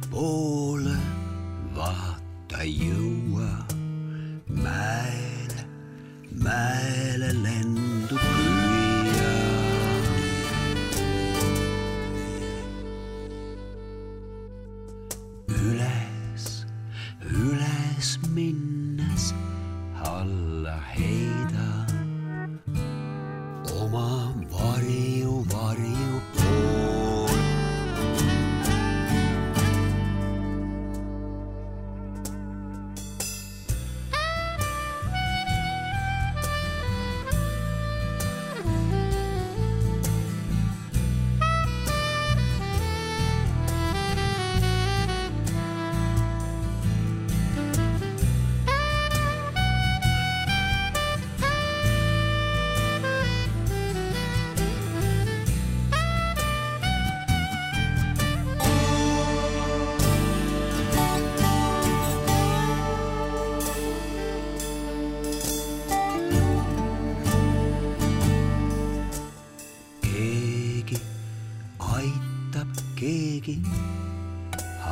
Poole vaata jõua, mäele lendu püüa. Üles minnes alla heida oma varju pool.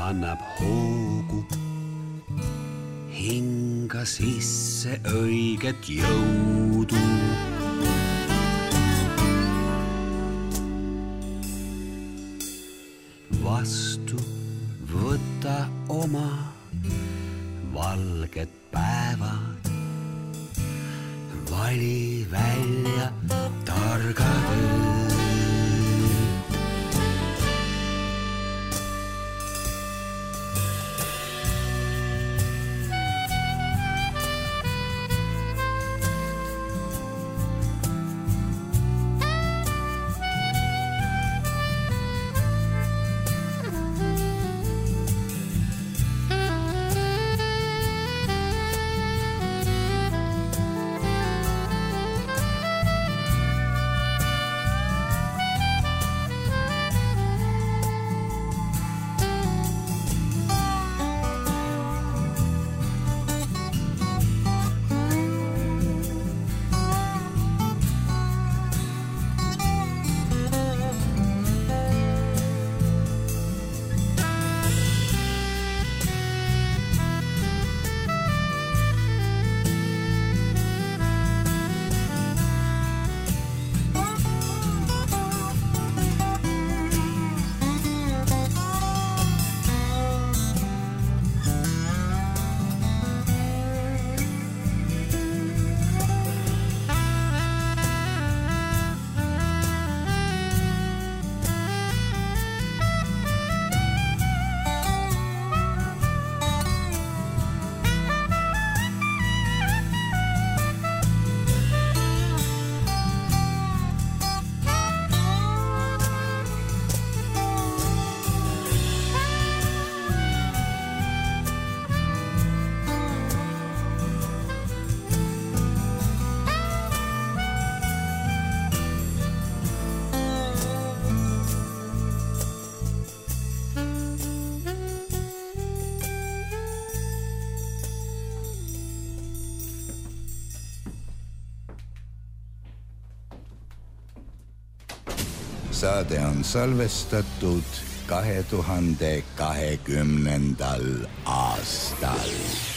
Annab hoogu, hinga sisse õiget jõudu. Vastu võta oma valged päevad, vali välja targa töö. Saade on salvestatud 2020. aastal.